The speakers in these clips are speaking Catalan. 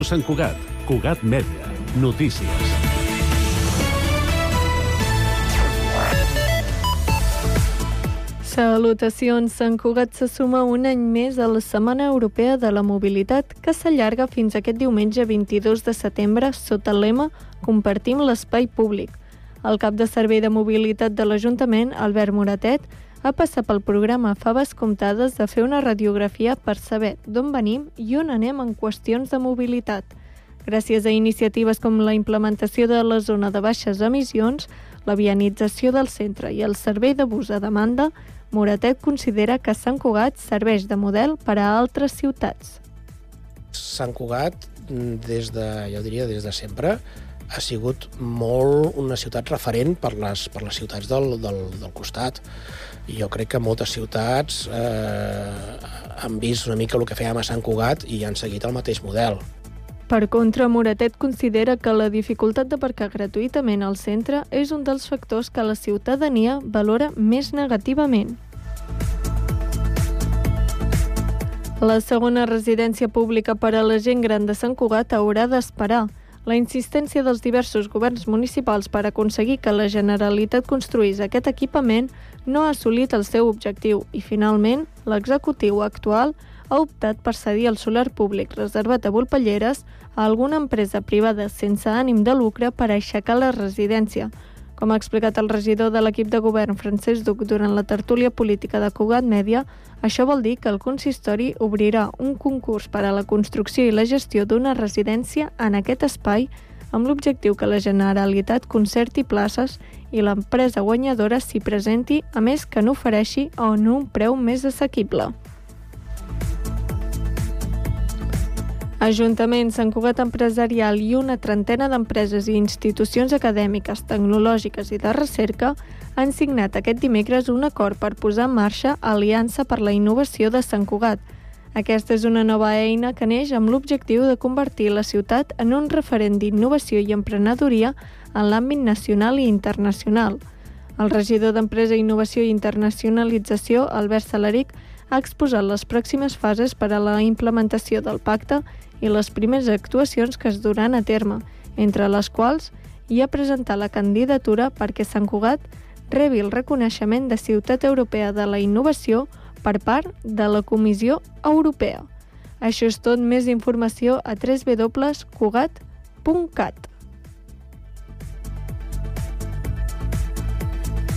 Sant Cugat, Cugat Mèdia, notícies. Salutacions, Sant Cugat se suma un any més a la Setmana Europea de la Mobilitat, que s'allarga fins aquest diumenge 22 de setembre sota el lema Compartim l'espai públic. El cap de servei de mobilitat de l'Ajuntament, Albert Moratet, ha passat pel programa Faves Comptades de fer una radiografia per saber d'on venim i on anem en qüestions de mobilitat. Gràcies a iniciatives com la implementació de la zona de baixes emissions, la vianització del centre i el servei de bus a demanda, Moratet considera que Sant Cugat serveix de model per a altres ciutats. Sant Cugat, des de sempre, ha sigut molt una ciutat referent per les ciutats del costat. I jo crec que moltes ciutats han vist una mica el que fèiem a Sant Cugat i han seguit el mateix model. Per contra, Moratet considera que la dificultat d'aparcar gratuïtament al centre és un dels factors que la ciutadania valora més negativament. La segona residència pública per a la gent gran de Sant Cugat haurà d'esperar. La insistència dels diversos governs municipals per aconseguir que la Generalitat construís aquest equipament no ha assolit el seu objectiu i, finalment, l'executiu actual ha optat per cedir el solar públic reservat a Volpelleres a alguna empresa privada sense ànim de lucre per aixecar la residència. Com ha explicat el regidor de l'equip de govern, Francesc Duc, durant la tertúlia política de Cugat Mèdia, això vol dir que el consistori obrirà un concurs per a la construcció i la gestió d'una residència en aquest espai amb l'objectiu que la Generalitat concerti places i l'empresa guanyadora s'hi presenti, a més que n'ofereixi a un preu més assequible. Ajuntament, Sant Cugat Empresarial i una trentena d'empreses i institucions acadèmiques, tecnològiques i de recerca han signat aquest dimecres un acord per posar en marxa Aliança per la Innovació de Sant Cugat. Aquesta és una nova eina que neix amb l'objectiu de convertir la ciutat en un referent d'innovació i emprenedoria en l'àmbit nacional i internacional. El regidor d'Empresa, Innovació i Internacionalització, Albert Salaric, ha exposat les pròximes fases per a la implementació del pacte i les primeres actuacions que es duran a terme, entre les quals hi ha presentat la candidatura perquè Sant Cugat rebi el reconeixement de Ciutat Europea de la Innovació per part de la Comissió Europea. Això és tot, més informació a www.cugat.cat.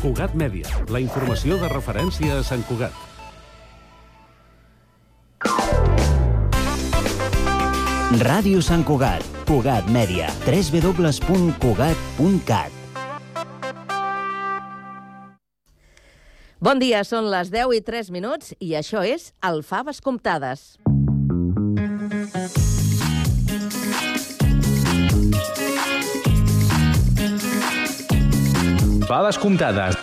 Cugat Mèdia, la informació de referència a Sant Cugat. Ràdio Sant Cugat, Cugat Mèdia, www.cugat.cat. Bon dia, són les 10:03 i això és el Faves Comptades. Faves Comptades.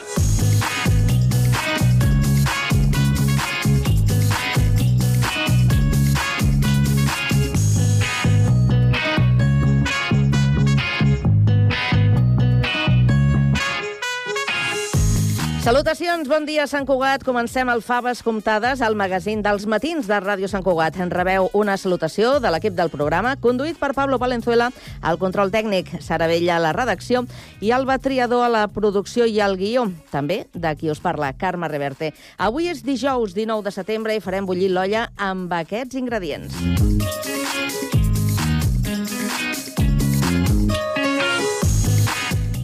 Salutacions, bon dia, Sant Cugat. Comencem el Faves Comptades, el magazín dels matins de Ràdio Sant Cugat. En rebeu una salutació de l'equip del programa, conduït per Pablo Valenzuela, al control tècnic, Sara Vella a la redacció i Alba Triador a la producció i al guió. També de qui us parla, Carme Reverte. Avui és dijous 19 de setembre i farem bullir l'olla amb aquests ingredients.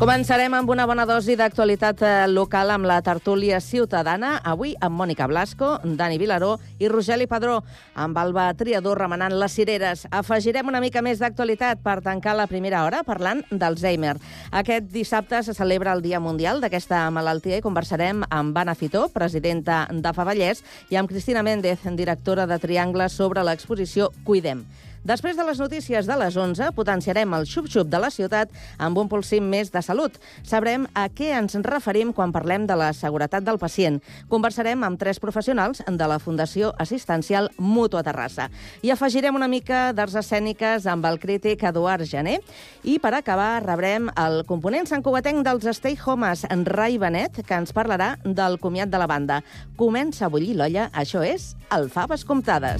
Començarem amb una bona dosi d'actualitat local amb la tertúlia ciutadana, avui amb Mònica Blasco, Dani Vilaró i Rogeli Padró, amb Alba Triador remenant les cireres. Afegirem una mica més d'actualitat per tancar la primera hora parlant d'Alzheimer. Aquest dissabte se celebra el Dia Mundial d'aquesta malaltia i conversarem amb Anna Fitó, presidenta d'AFA Vallès, i amb Cristina Méndez, directora de Triangle, sobre l'exposició Cuidem. Després de les notícies de les 11, potenciarem el xup-xup de la ciutat amb un polsim més de salut. Sabrem a què ens referim quan parlem de la seguretat del pacient. Conversarem amb 3 professionals de la Fundació Assistencial Mútua Terrassa. I afegirem una mica d'arts escèniques amb el crític Eduard Jané. I per acabar rebrem el component santcugatenc dels Stay Homes, en Rai Benet, que ens parlarà del comiat de la banda. Comença a bullir l'olla, això és el Faves Comptades.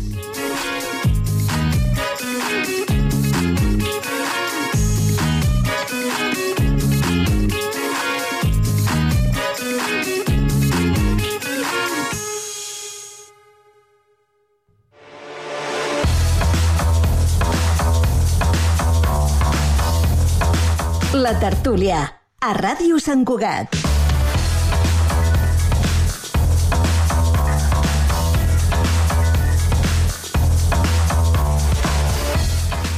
La tertúlia, a Ràdio Sant Cugat.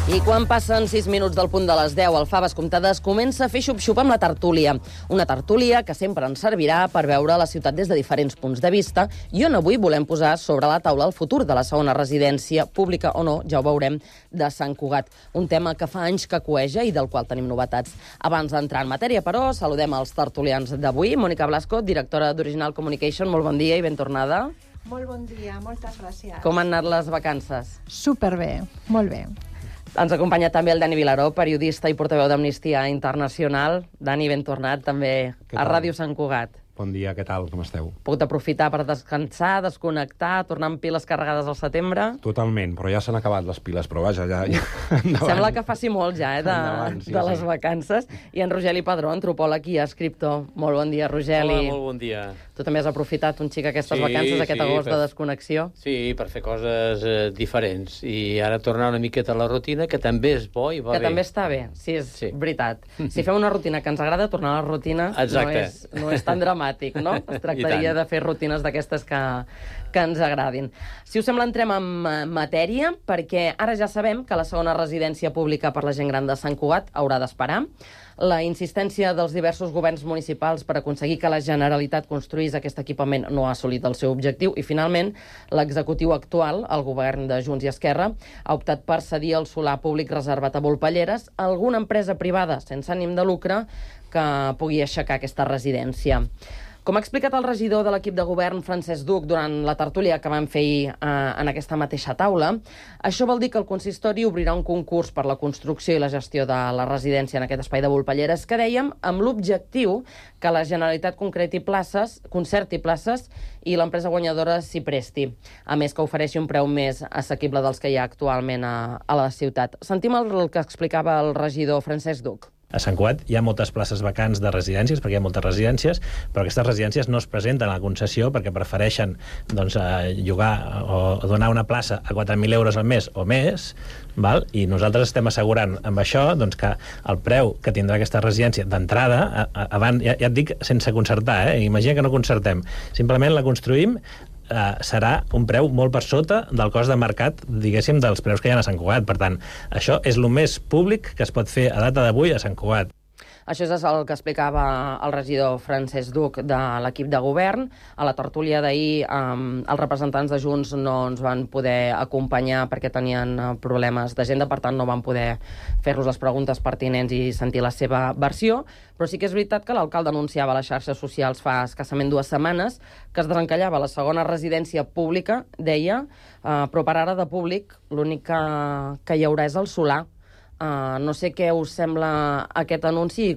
I quan passen 6 minuts del punt de les 10 al Faves Comptades, comença a fer xup-xup amb la tertúlia. Una tertúlia que sempre ens servirà per veure la ciutat des de diferents punts de vista i on avui volem posar sobre la taula el futur de la segona residència, pública o no, ja ho veurem, de Sant Cugat. Un tema que fa anys que cueja i del qual tenim novetats. Abans d'entrar en matèria, però, saludem els tertulians d'avui. Mònica Blasco, directora d'Original Communication, molt bon dia i ben tornada. Molt bon dia, moltes gràcies. Com han anat les vacances? Superbé, molt bé. Ens acompanya també el Dani Vilaró, periodista i portaveu d'Amnistia Internacional. Dani, ben tornat també a Ràdio Sant Cugat. Bon dia, què tal? Com esteu? Pogut aprofitar per descansar, desconnectar, tornar amb piles carregades al setembre? Totalment, però ja s'han acabat les piles, però vaja, ja Sembla que faci molt ja, de les vacances. I en Rogeli Padró, antropòleg i escriptor. Molt bon dia, Rogeli. Hola, molt bon dia. Tu també has aprofitat un xic aquestes vacances, aquest agost de desconnexió? Sí, per fer coses diferents. I ara tornar una miqueta a la rutina, que també és bo i va bé. Que també està bé, sí, és veritat. Si fem una rutina que ens agrada, tornar a la rutina no és tan dramàtic. No? Es tractaria de fer rutines d'aquestes que ens agradin. Si us sembla, entrem en matèria, perquè ara ja sabem que la segona residència pública per la gent gran de Sant Cugat haurà d'esperar. La insistència dels diversos governs municipals per aconseguir que la Generalitat construís aquest equipament no ha assolit el seu objectiu i, finalment, l'executiu actual, el govern de Junts i Esquerra, ha optat per cedir el solar públic reservat a Volpelleres a alguna empresa privada sense ànim de lucre que pugui aixecar aquesta residència. Com ha explicat el regidor de l'equip de govern, Francesc Duc, durant la tertúlia que vam fer en aquesta mateixa taula, això vol dir que el consistori obrirà un concurs per la construcció i la gestió de la residència en aquest espai de Volpelleres, que dèiem amb l'objectiu que la Generalitat concerti places i l'empresa guanyadora s'hi presti. A més, que ofereixi un preu més assequible dels que hi ha actualment a la ciutat. Sentim el que explicava el regidor Francesc Duc. A Sant Cugat hi ha moltes places vacants de residències, perquè hi ha moltes residències, però aquestes residències no es presenten a la concessió perquè prefereixen llogar o donar una plaça a 4.000 euros al mes o més, val? I nosaltres estem assegurant amb això que el preu que tindrà aquesta residència d'entrada, ja et dic sense concertar, imagina que no concertem, simplement la construïm, serà un preu molt per sota del cost de mercat, diguéssim, dels preus que hi ha a Sant Cugat. Per tant, això és el més públic que es pot fer a data d'avui a Sant Cugat. Això és el que explicava el regidor Francesc Duc de l'equip de govern. A la tertúlia d'ahir els representants de Junts no ens van poder acompanyar perquè tenien problemes d'agenda, per tant no van poder fer-los les preguntes pertinents i sentir la seva versió, però sí que és veritat que l'alcalde anunciava a les xarxes socials fa escassament 2 setmanes que es desencallava la segona residència pública, deia, però per ara de públic l'únic que hi haurà és el solar. No sé què us sembla aquest anunci i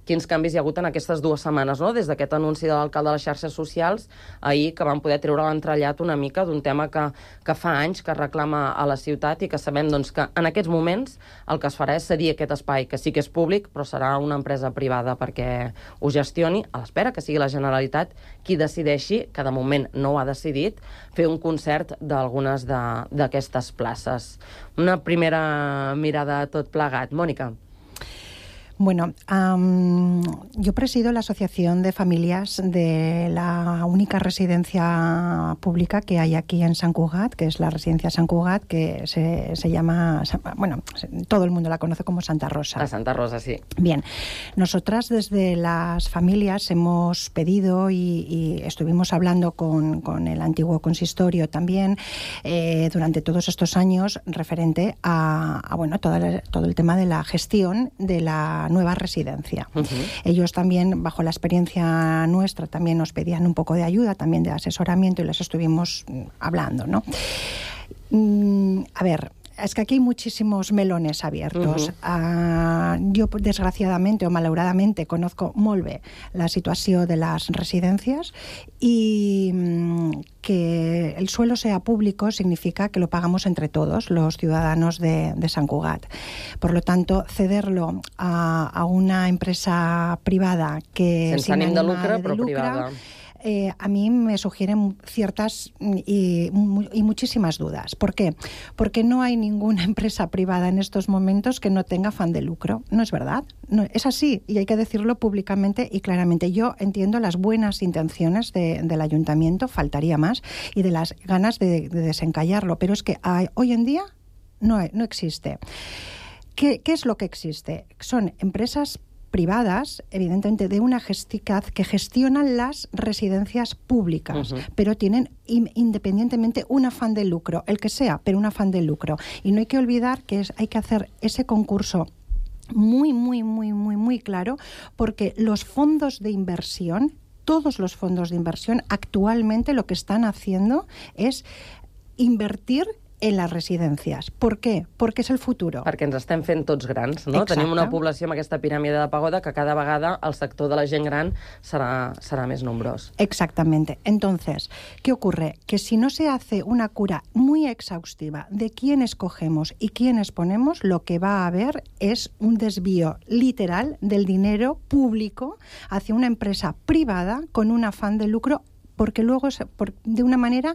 quins canvis hi ha hagut en aquestes 2 setmanes, no? Des d'aquest anunci de l'alcalde a les xarxes socials, ahir que van poder treure l'entrellat una mica d'un tema que fa anys que reclama a la ciutat i que sabem que en aquests moments el que es farà és cedir aquest espai, que sí que és públic, però serà una empresa privada perquè ho gestioni, a l'espera que sigui la Generalitat qui decideixi, que de moment no ho ha decidit, fer un concert d'algunes d'aquestes places. Una primera mirada a tot plegat. Mònica. Bueno, yo presido la Asociación de Familias de la única residencia pública que hay aquí en Sant Cugat, que es la Residencia Sant Cugat, que se llama, bueno, todo el mundo la conoce como Santa Rosa. La Santa Rosa, sí. Bien, nosotras desde las familias hemos pedido y estuvimos hablando con el antiguo consistorio también durante todos estos años referente a todo el tema de la gestión de la nueva residencia. Ellos también, bajo la experiencia nuestra, también nos pedían un poco de ayuda, también de asesoramiento, y les estuvimos hablando, ¿no? A ver, es que aquí hay muchísimos melones abiertos. Jo, desgraciadamente o malauradamente, conozco molt bé la situació de las residencias y que el suelo sea público significa que lo pagamos entre todos, los ciudadanos de Sant Cugat. Por lo tanto, cederlo a una empresa privada que sense ànim de lucre, però privada, a mí me sugieren ciertas y muchísimas dudas. ¿Por qué? Porque no hay ninguna empresa privada en estos momentos que no tenga afán de lucro. No es verdad. No, es así y hay que decirlo públicamente y claramente. Yo entiendo las buenas intenciones del ayuntamiento, faltaría más, y de las ganas de desencallarlo, pero es que hoy en día no existe. ¿Qué es lo que existe? Son empresas privadas, evidentemente de una que gestionan las residencias públicas, pero tienen independientemente un afán de lucro, el que sea, pero un afán de lucro. Y no hay que olvidar que hay que hacer ese concurso muy, muy, muy, muy, muy claro, porque los fondos de inversión, todos los fondos de inversión, actualmente lo que están haciendo es invertir en les residències. Per què? Perquè és el futur. Perquè ens estem fent tots grans, no? Exacte. Tenim una població amb aquesta piràmide de pagoda que cada vegada el sector de la gent gran serà més nombrós. Exactamente. Entonces, ¿qué ocurre? Que si no se hace una cura muy exhaustiva de quién escogemos y quiénes ponemos, lo que va a haber es un desvío literal del dinero público hacia una empresa privada con un afán de lucro, porque luego, de una manera...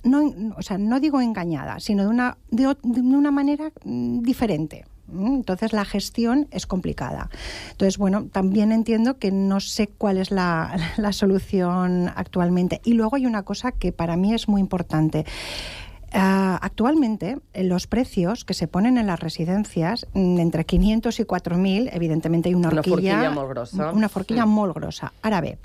no digo engañada, sino de una manera diferente. Entonces la gestión es complicada. Entonces, bueno, también entiendo que no sé cuál es la solución actualmente. Y luego hay una cosa que para mí es muy importante. Actualmente, los precios que se ponen en las residencias, entre 500 y 4.000, evidentemente hay una forquilla molt grossa. Una forquilla molt grossa. Ara bé,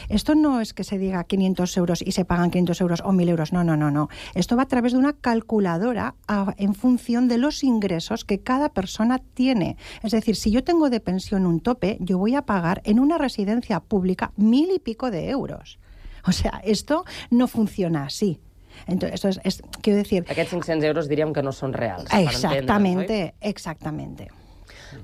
esto no es que se diga 500 euros y se pagan 500 euros o 1.000 euros, no. Esto va a través de una calculadora en función de los ingresos que cada persona tiene. Es decir, si yo tengo de pensión un tope, yo voy a pagar en una residencia pública 1.000 y pico de euros. O sea, esto no funciona así. Entonces, quiero decir... Aquests 500 euros diríem que no són reals. Exactamente, exactamente.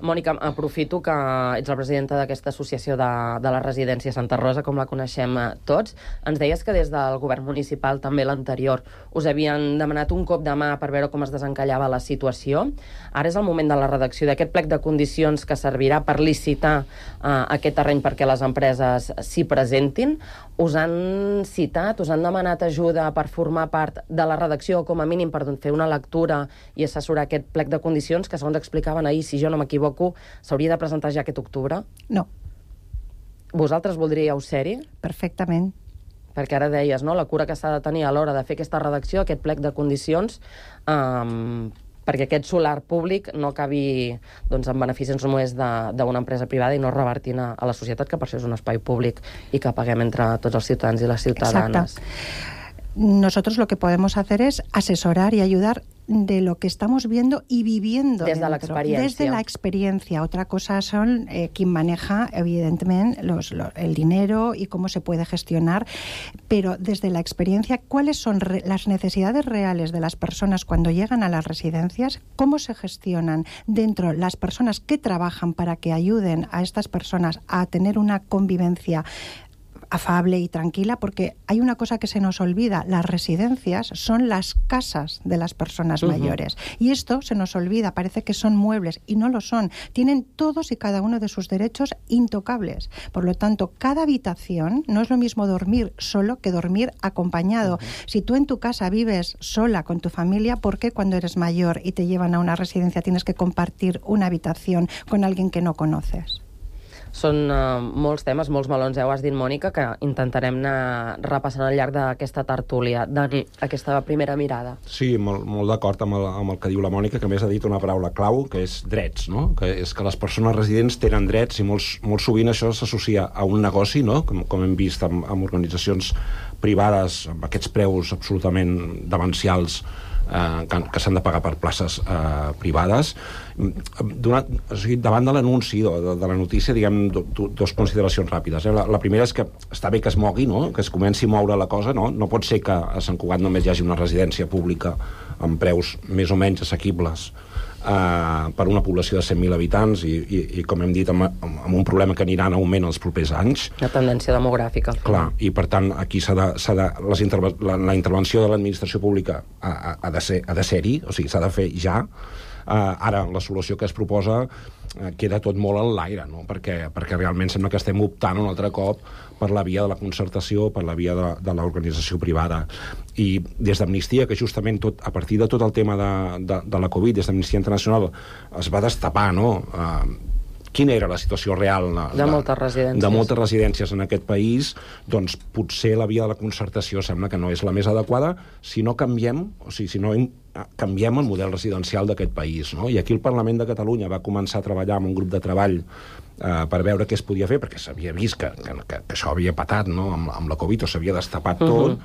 Mònica, aprofito que ets la presidenta d'aquesta associació de la residència Santa Rosa, com la coneixem tots. Ens deies que des del govern municipal, també l'anterior, us havien demanat un cop de mà per veure com es desencallava la situació. Ara és el moment de la redacció d'aquest plec de condicions que servirà per licitar aquest terreny perquè les empreses s'hi presentin. Us han citat, us han demanat ajuda per formar part de la redacció, com a mínim per fer una lectura i assessorar aquest plec de condicions que, segons explicaven ahir, si jo no m'equivoco, s'hauria de presentar ja aquest octubre? No. Vosaltres voldríeu ser-hi? Perfectament. Perquè ara deies, no?, la cura que s'ha de tenir a l'hora de fer aquesta redacció, aquest plec de condicions, perquè aquest solar públic no acabi en beneficis només d'una empresa privada i no revertint a la societat, que per això és un espai públic i que paguem entre tots els ciutadans i les ciutadanes. Exacte. Nosotros lo que podemos hacer es asesorar y ayudar de lo que estamos viendo y viviendo desde la experiencia. Desde la experiencia. Otra cosa son quien maneja, evidentemente, el dinero y cómo se puede gestionar, pero desde la experiencia, ¿cuáles son las necesidades reales de las personas cuando llegan a las residencias? ¿Cómo se gestionan dentro las personas que trabajan para que ayuden a estas personas a tener una convivencia afable y tranquila? Porque hay una cosa que se nos olvida: las residencias son las casas de las personas mayores. Y esto se nos olvida, parece que son muebles, y no lo son. Tienen todos y cada uno de sus derechos intocables. Por lo tanto, cada habitación, no es lo mismo dormir solo que dormir acompañado. Si tú en tu casa vives sola con tu familia, ¿por qué cuando eres mayor y te llevan a una residencia tienes que compartir una habitación con alguien que no conoces? Són molts temes, molts melons, ho has dit, Mònica, que intentarem anar repassant al llarg d'aquesta tertúlia. Dani, aquesta primera mirada. Sí, molt d'acord amb el que diu la Mònica, que a més ha dit una paraula clau, que és drets, no? Que és que les persones residents tenen drets i molt sovint això s'associa a un negoci, no? Com hem vist amb organitzacions privades, amb aquests preus absolutament demencials que s'han de pagar per places privades. Davant de l'anunci de la notícia, diguem, dues consideracions ràpides. La primera és que està bé que es mogui, no? Que es comenci a moure la cosa, no? No pot ser que a Sant Cugat només hi hagi una residència pública amb preus més o menys assequibles per una població de 100.000 habitants i com hem dit, amb un problema que anirà en augment els propers anys. Una tendència demogràfica. Clar, i per tant aquí la intervenció de l'administració pública ha de ser-hi, o sigui, s'ha de fer ja. Ara, la solució que es proposa queda tot molt en l'aire, no? perquè realment sembla que estem optant un altre cop per la via de la concertació, per la via de l'organització privada. I des d'Amnistia, que justament a partir de tot el tema de la Covid, des d'Amnistia Internacional, es va destapar, no?, quina era la situació real de moltes residències en aquest país, doncs potser la via de la concertació sembla que no és la més adequada si no canviem el model residencial d'aquest país, no? I aquí el Parlament de Catalunya va començar a treballar amb un grup de treball per veure què es podia fer, perquè s'havia vist que això havia patat, no?, amb la Covid, o s'havia destapat tot,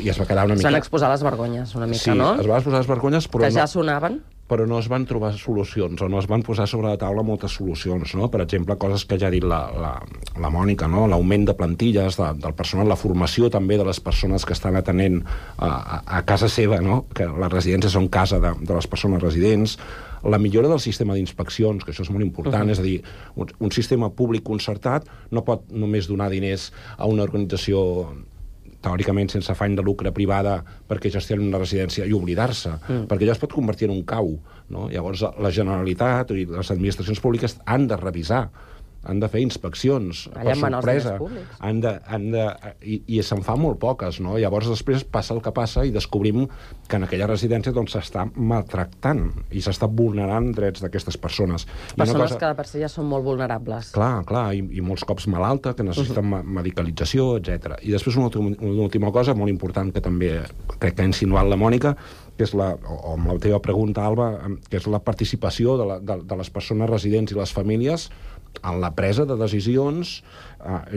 i es va quedar una mica... S'han exposat les vergonyes, una mica, no? Sí, es van exposar les vergonyes, però que ja sonaven. Però no es van trobar solucions, o no es van posar sobre la taula moltes solucions, no? Per exemple, coses que ja ha dit la Mònica, no? L'augment de plantilles del personal, la formació també de les persones que estan atenent a casa seva, no? Que les residències són casa de les persones residents, la millora del sistema d'inspeccions, que això és molt important, és a dir, un sistema públic concertat no pot només donar diners a una organització teòricament sense afany de lucre privada perquè gestioni una residència i oblidar-se, perquè ja es pot convertir en un cau, no? Llavors la Generalitat i les administracions públiques han de revisar, han de fer inspeccions per sorpresa, i se'n fa molt poques, no? Llavors després passa el que passa i descobrim que en aquella residència doncs s'està maltractant i s'està vulnerant drets d'aquestes persones. Persones que per si ja són molt vulnerables. Clar, i molts cops malalta, que necessiten medicalització, etc. I després una última cosa molt important que també crec que ha insinuat la Mònica, que és o amb la teva pregunta, Alba, que és la participació de les persones residents i les famílies en la presa de decisions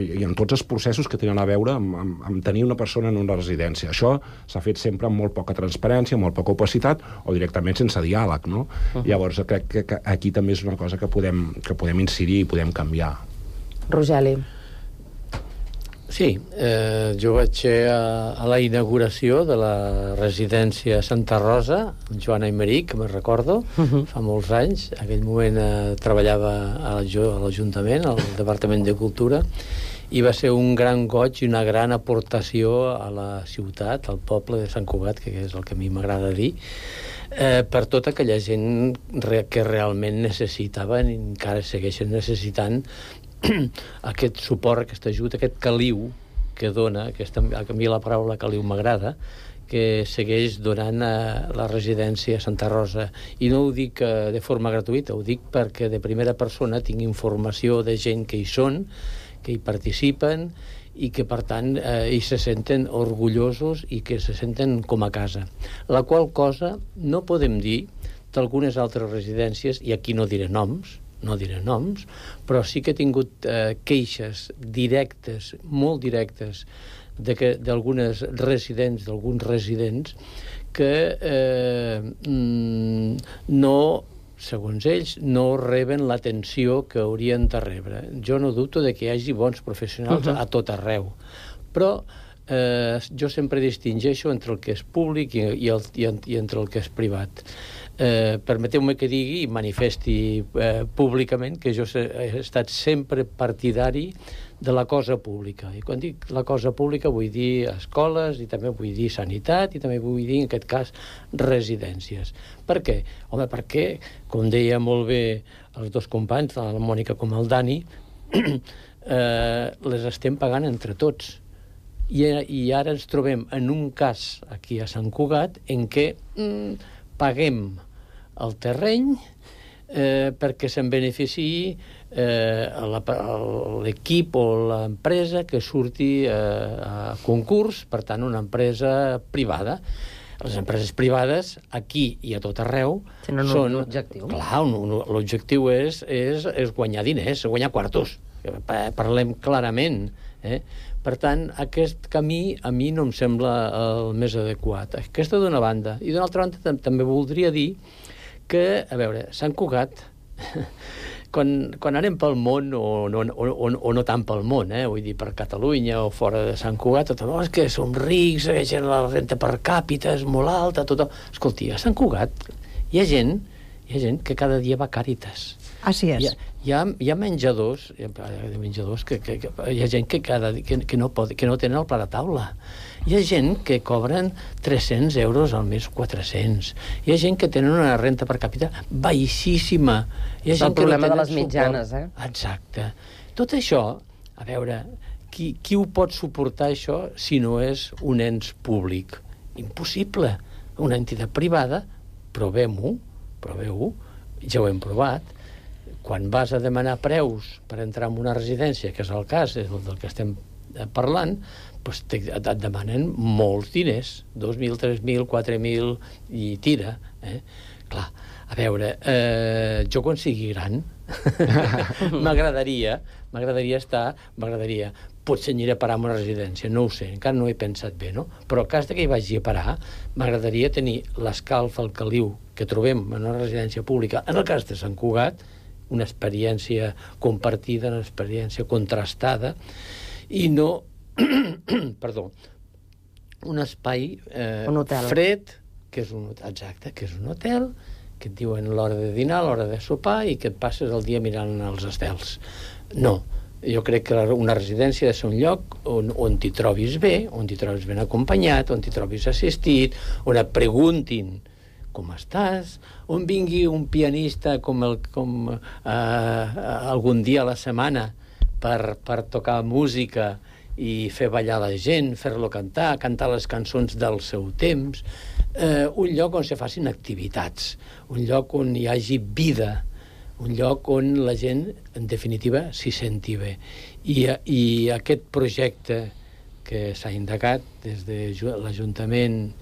i en tots els processos que tenen a veure amb tenir una persona en una residència. Això s'ha fet sempre amb molt poca transparència, molt poca opacitat, o directament sense diàleg, no? Llavors crec que aquí també és una cosa que podem incidir i podem canviar. Rogeli. Sí, jo vaig ser a la inauguració de la residència Santa Rosa, amb Joana Aymeric, que me'n recordo, fa molts anys. En aquell moment treballava a l'Ajuntament, al Departament de Cultura, i va ser un gran goig i una gran aportació a la ciutat, al poble de Sant Cugat, que és el que a mi m'agrada dir, per tota aquella gent que realment necessitaven i encara segueixen necessitant aquest suport, aquest ajut, aquest caliu que dona, a mi la paraula caliu m'agrada, que segueix donant a la residència Santa Rosa. I no ho dic de forma gratuïta, ho dic perquè de primera persona tinc informació de gent que hi són, que hi participen i que, per tant, hi se senten orgullosos i que se senten com a casa. La qual cosa no podem dir d'algunes altres residències, i aquí no diré noms, però sí que he tingut queixes directes, molt directes, d'alguns residents que no, segons ells, no reben l'atenció que haurien de rebre. Jo no dubto de que hi hagi bons professionals a tot arreu, però jo sempre distingeixo entre el que és públic i entre el que és privat. Permeteu-me que digui i manifesti públicament que jo he estat sempre partidari de la cosa pública. I quan dic la cosa pública vull dir escoles, i també vull dir sanitat, i també vull dir, en aquest cas, residències. Per què? Home, perquè, com deia molt bé els dos companys, tant la Mònica com el Dani, les estem pagant entre tots. I ara ens trobem en un cas aquí a Sant Cugat en què paguem el terreny perquè se'n beneficiï l'equip o l'empresa que surti a concurs, per tant, una empresa privada. Les empreses privades, aquí i a tot arreu, tenen un objectiu. Clar, l'objectiu és guanyar diners, guanyar quartos. Parlem clarament. Per tant, aquest camí a mi no em sembla el més adequat. Aquesta d'una banda. I d'una altra banda també voldria dir que, a veure, Sant Cugat, quan anem pel món, o no tant pel món, vull dir, per Catalunya o fora de Sant Cugat, tothom, és que som rics, la renta per càpita és molt alta, tothom... Escolti, a Sant Cugat hi ha gent Hi ha gent que cada dia va a Càritas. Así es. Hi ha menjadors, que hi ha gent que no tenen el plat a taula. Hi ha gent que cobren 300 euros al mes, 400. Hi ha gent que tenen una renta per càpita baixíssima. És el problema de les mitjanes, Exacte. Tot això, a veure, qui ho pot suportar, això, si no és un ens públic? Impossible. Una entitat privada, proveu-ho, ja ho hem provat. Quan vas a demanar preus per entrar en una residència, que és el cas del que estem parlant, doncs et demanen molts diners, 2.000, 3.000, 4.000, i tira. Clar, a veure, jo quan sigui gran m'agradaria potser aniré a parar a una residència, no ho sé, encara no he pensat bé, no? Però en cas que hi vagi a parar, m'agradaria tenir l'escalf, el caliu que trobem en una residència pública, en el cas de Sant Cugat, una experiència compartida, una experiència contrastada, i no, perdó, un espai fred, que és un hotel, que et diuen l'hora de dinar, l'hora de sopar, i que et passes el dia mirant els estels. No, jo crec que una residència ha de ser un lloc on t'hi trobis bé, on t'hi trobis ben acompanyat, on t'hi trobis assistit, on et preguntin com estàs, on vingui un pianista com algun dia a la setmana per tocar música i fer ballar la gent, fer-lo cantar les cançons del seu temps, un lloc on se facin activitats, un lloc on hi hagi vida, un lloc on la gent, en definitiva, s'hi senti bé. I aquest projecte que s'ha indagat des de l'Ajuntament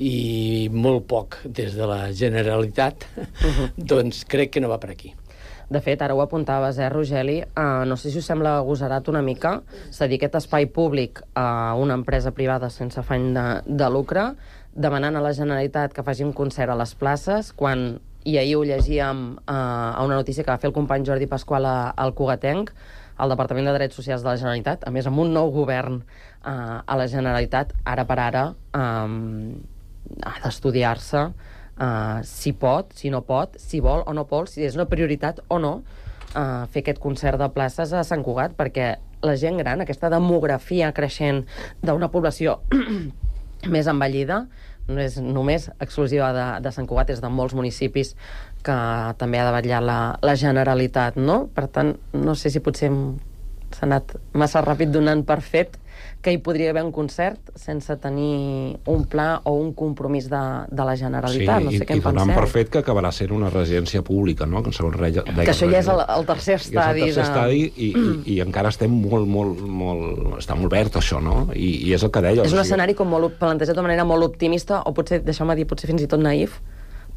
i molt poc des de la Generalitat, doncs crec que no va per aquí. De fet, ara ho apuntaves, Rogeli, no sé si us sembla agosarat una mica cedir aquest espai públic a una empresa privada sense afany de lucre, demanant a la Generalitat que faci un concert a les places, quan, i ahir ho llegíem a una notícia que va fer el company Jordi Pasqual al Cugatenc, el Departament de Drets Socials de la Generalitat, a més amb un nou govern a la Generalitat, ara per ara ha d'estudiar-se si pot, si no pot, si vol o no vol, si és una prioritat o no fer aquest concert de places a Sant Cugat, perquè la gent gran, aquesta demografia creixent d'una població més envellida, no és només exclusiva de Sant Cugat, és de molts municipis que també ha de vetllar la Generalitat, no? Per tant, no sé si potser s'ha anat massa ràpid donant per fet que hi podria haver un concert sense tenir un pla o un compromís de la Generalitat. No sé què en penseu. I donant per fet que acabarà sent una residència pública, no? Que això ja és el tercer estadi. És el tercer estadi i encara estem està molt verd, això, no? I és el que deia. És un escenari com molt plantejat de manera molt optimista, o potser, deixeu-me dir, potser fins i tot naïf,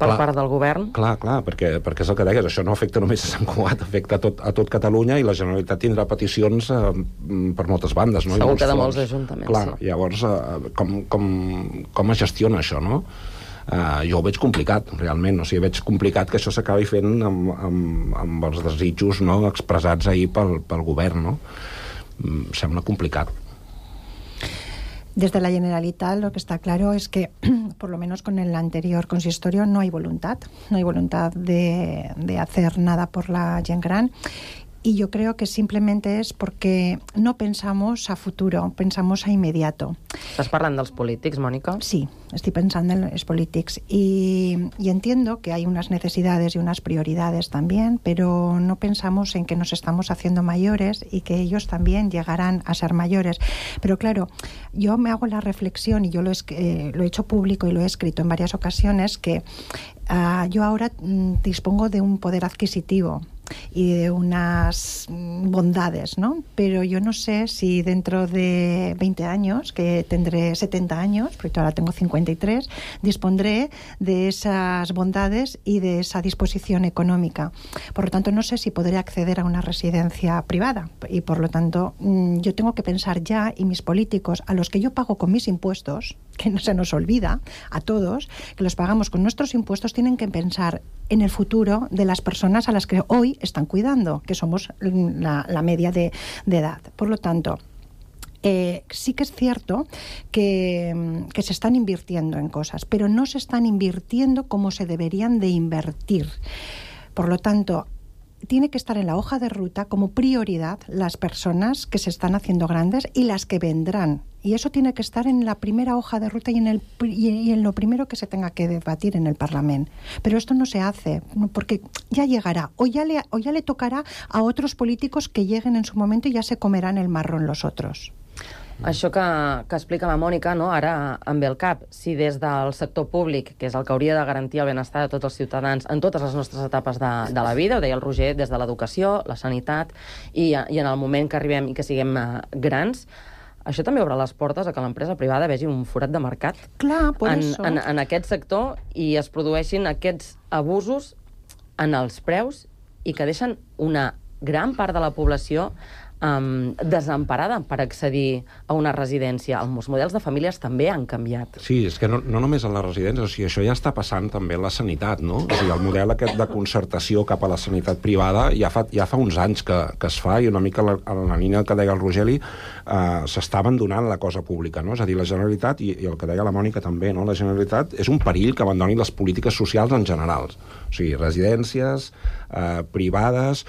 per part del govern. Clar, perquè és el que deies, això no afecta només a Sant Cugat, afecta a tot Catalunya, i la Generalitat tindrà peticions per moltes bandes, no? Segur que de molts ajuntaments, clar, sí. Llavors, com es gestiona això, no? Jo ho veig complicat, realment. O sigui, veig complicat que això s'acabi fent amb els desitjos, no?, expressats ahir pel govern, no? Sembla complicat. Desde la Generalitat lo que está claro es que, por lo menos con el anterior consistorio, no hay voluntad de hacer nada por la gent gran. Y yo creo que simplemente es porque no pensamos a futuro, pensamos a inmediato. ¿Estás hablando de los políticos, Mónica? Sí, estoy pensando en los políticos. Y entiendo que hay unas necesidades y unas prioridades también, pero no pensamos en que nos estamos haciendo mayores y que ellos también llegarán a ser mayores. Pero claro, yo me hago la reflexión, y yo lo he hecho público y lo he escrito en varias ocasiones, que yo ahora dispongo de un poder adquisitivo y de unas bondades, ¿no? Pero yo no sé si dentro de 20 años, que tendré 70 años, porque ahora tengo 53, dispondré de esas bondades y de esa disposición económica. Por lo tanto, no sé si podré acceder a una residencia privada, y por lo tanto yo tengo que pensar ya, y mis políticos, a los que yo pago con mis impuestos, que no se nos olvida, a todos, que los pagamos con nuestros impuestos, tienen que pensar en el futuro de las personas a las que hoy están cuidando, que somos la media de edad. Por lo tanto, Sí que es cierto que se están invirtiendo en cosas, pero no se están invirtiendo como se deberían de invertir. Por lo tanto, tiene que estar en la hoja de ruta como prioridad las personas que se están haciendo grandes y las que vendrán. Y eso tiene que estar en la primera hoja de ruta y en lo primero que se tenga que debatir en el Parlamento. Pero esto no se hace, porque ya llegará, o ya le tocará a otros políticos que lleguen en su momento y ya se comerán el marrón los otros. Això que explica la Mònica, no? Ara em ve al cap. Si des del sector públic, que és el que hauria de garantir el benestar de tots els ciutadans en totes les nostres etapes de la vida, ho deia el Roger, des de l'educació, la sanitat, i en el moment que arribem i que siguem grans, això també obre les portes a que l'empresa privada vegi un forat de mercat en aquest sector i es produeixin aquests abusos en els preus i que deixen una gran part de la població desemparada per accedir a una residència. Els models de famílies també han canviat. Sí, és que no només en les residències, o sigui, això ja està passant també en la sanitat, no? O sigui, el model aquest de concertació cap a la sanitat privada ja fa uns anys que es fa, i una mica en la línia que deia el Rogeli, s'està abandonant la cosa pública, no? És a dir, la Generalitat, i el que deia la Mònica també, no? La Generalitat és un perill que abandoni les polítiques socials en general. O sigui, residències privades,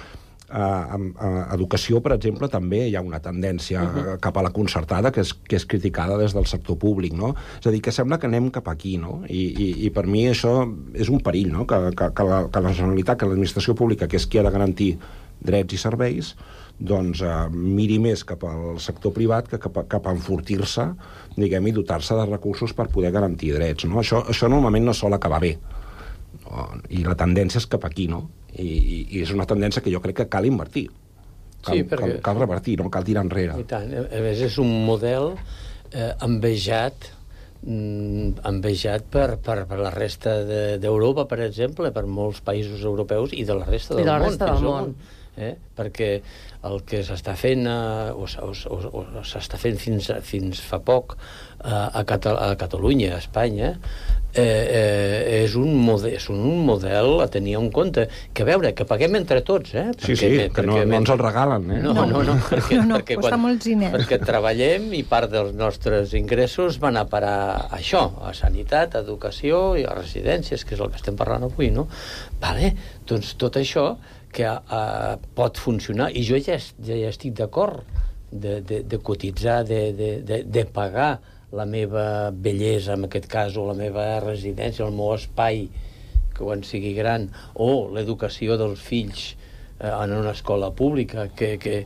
educació, per exemple, també hi ha una tendència cap a la concertada que és criticada des del sector públic, no? És a dir, que sembla que anem cap aquí, no? I per mi això és un perill, no? Que la Generalitat, que l'administració pública, que és qui ha de garantir drets i serveis, doncs miri més cap al sector privat que cap a enfortir-se, diguem, i dotar-se de recursos per poder garantir drets, no? Això normalment no sol acabar bé. I la tendència és cap aquí, no? I és una tendència que jo crec que cal invertir. Cal revertir, no cal tirar enrere. I tant. A més, és un model envejat per la resta d'Europa, per exemple, per molts països europeus i de la resta del món. Perquè el que s'està fent o s'està fent fins fa poc a Catalunya, a Espanya, és un model a tenir en compte. Que a veure, que paguem entre tots, que no ens el regalen, perquè costa molts diners. Perquè treballem i part dels nostres ingressos van a parar a això, a sanitat, a educació i a residències, que és el que estem parlant avui, no? Vale, doncs tot això que pot funcionar, i jo ja estic d'acord de cotitzar, de pagar la meva bellesa, en aquest cas, o la meva residència, el meu espai, que quan sigui gran, o l'educació dels fills en una escola pública, que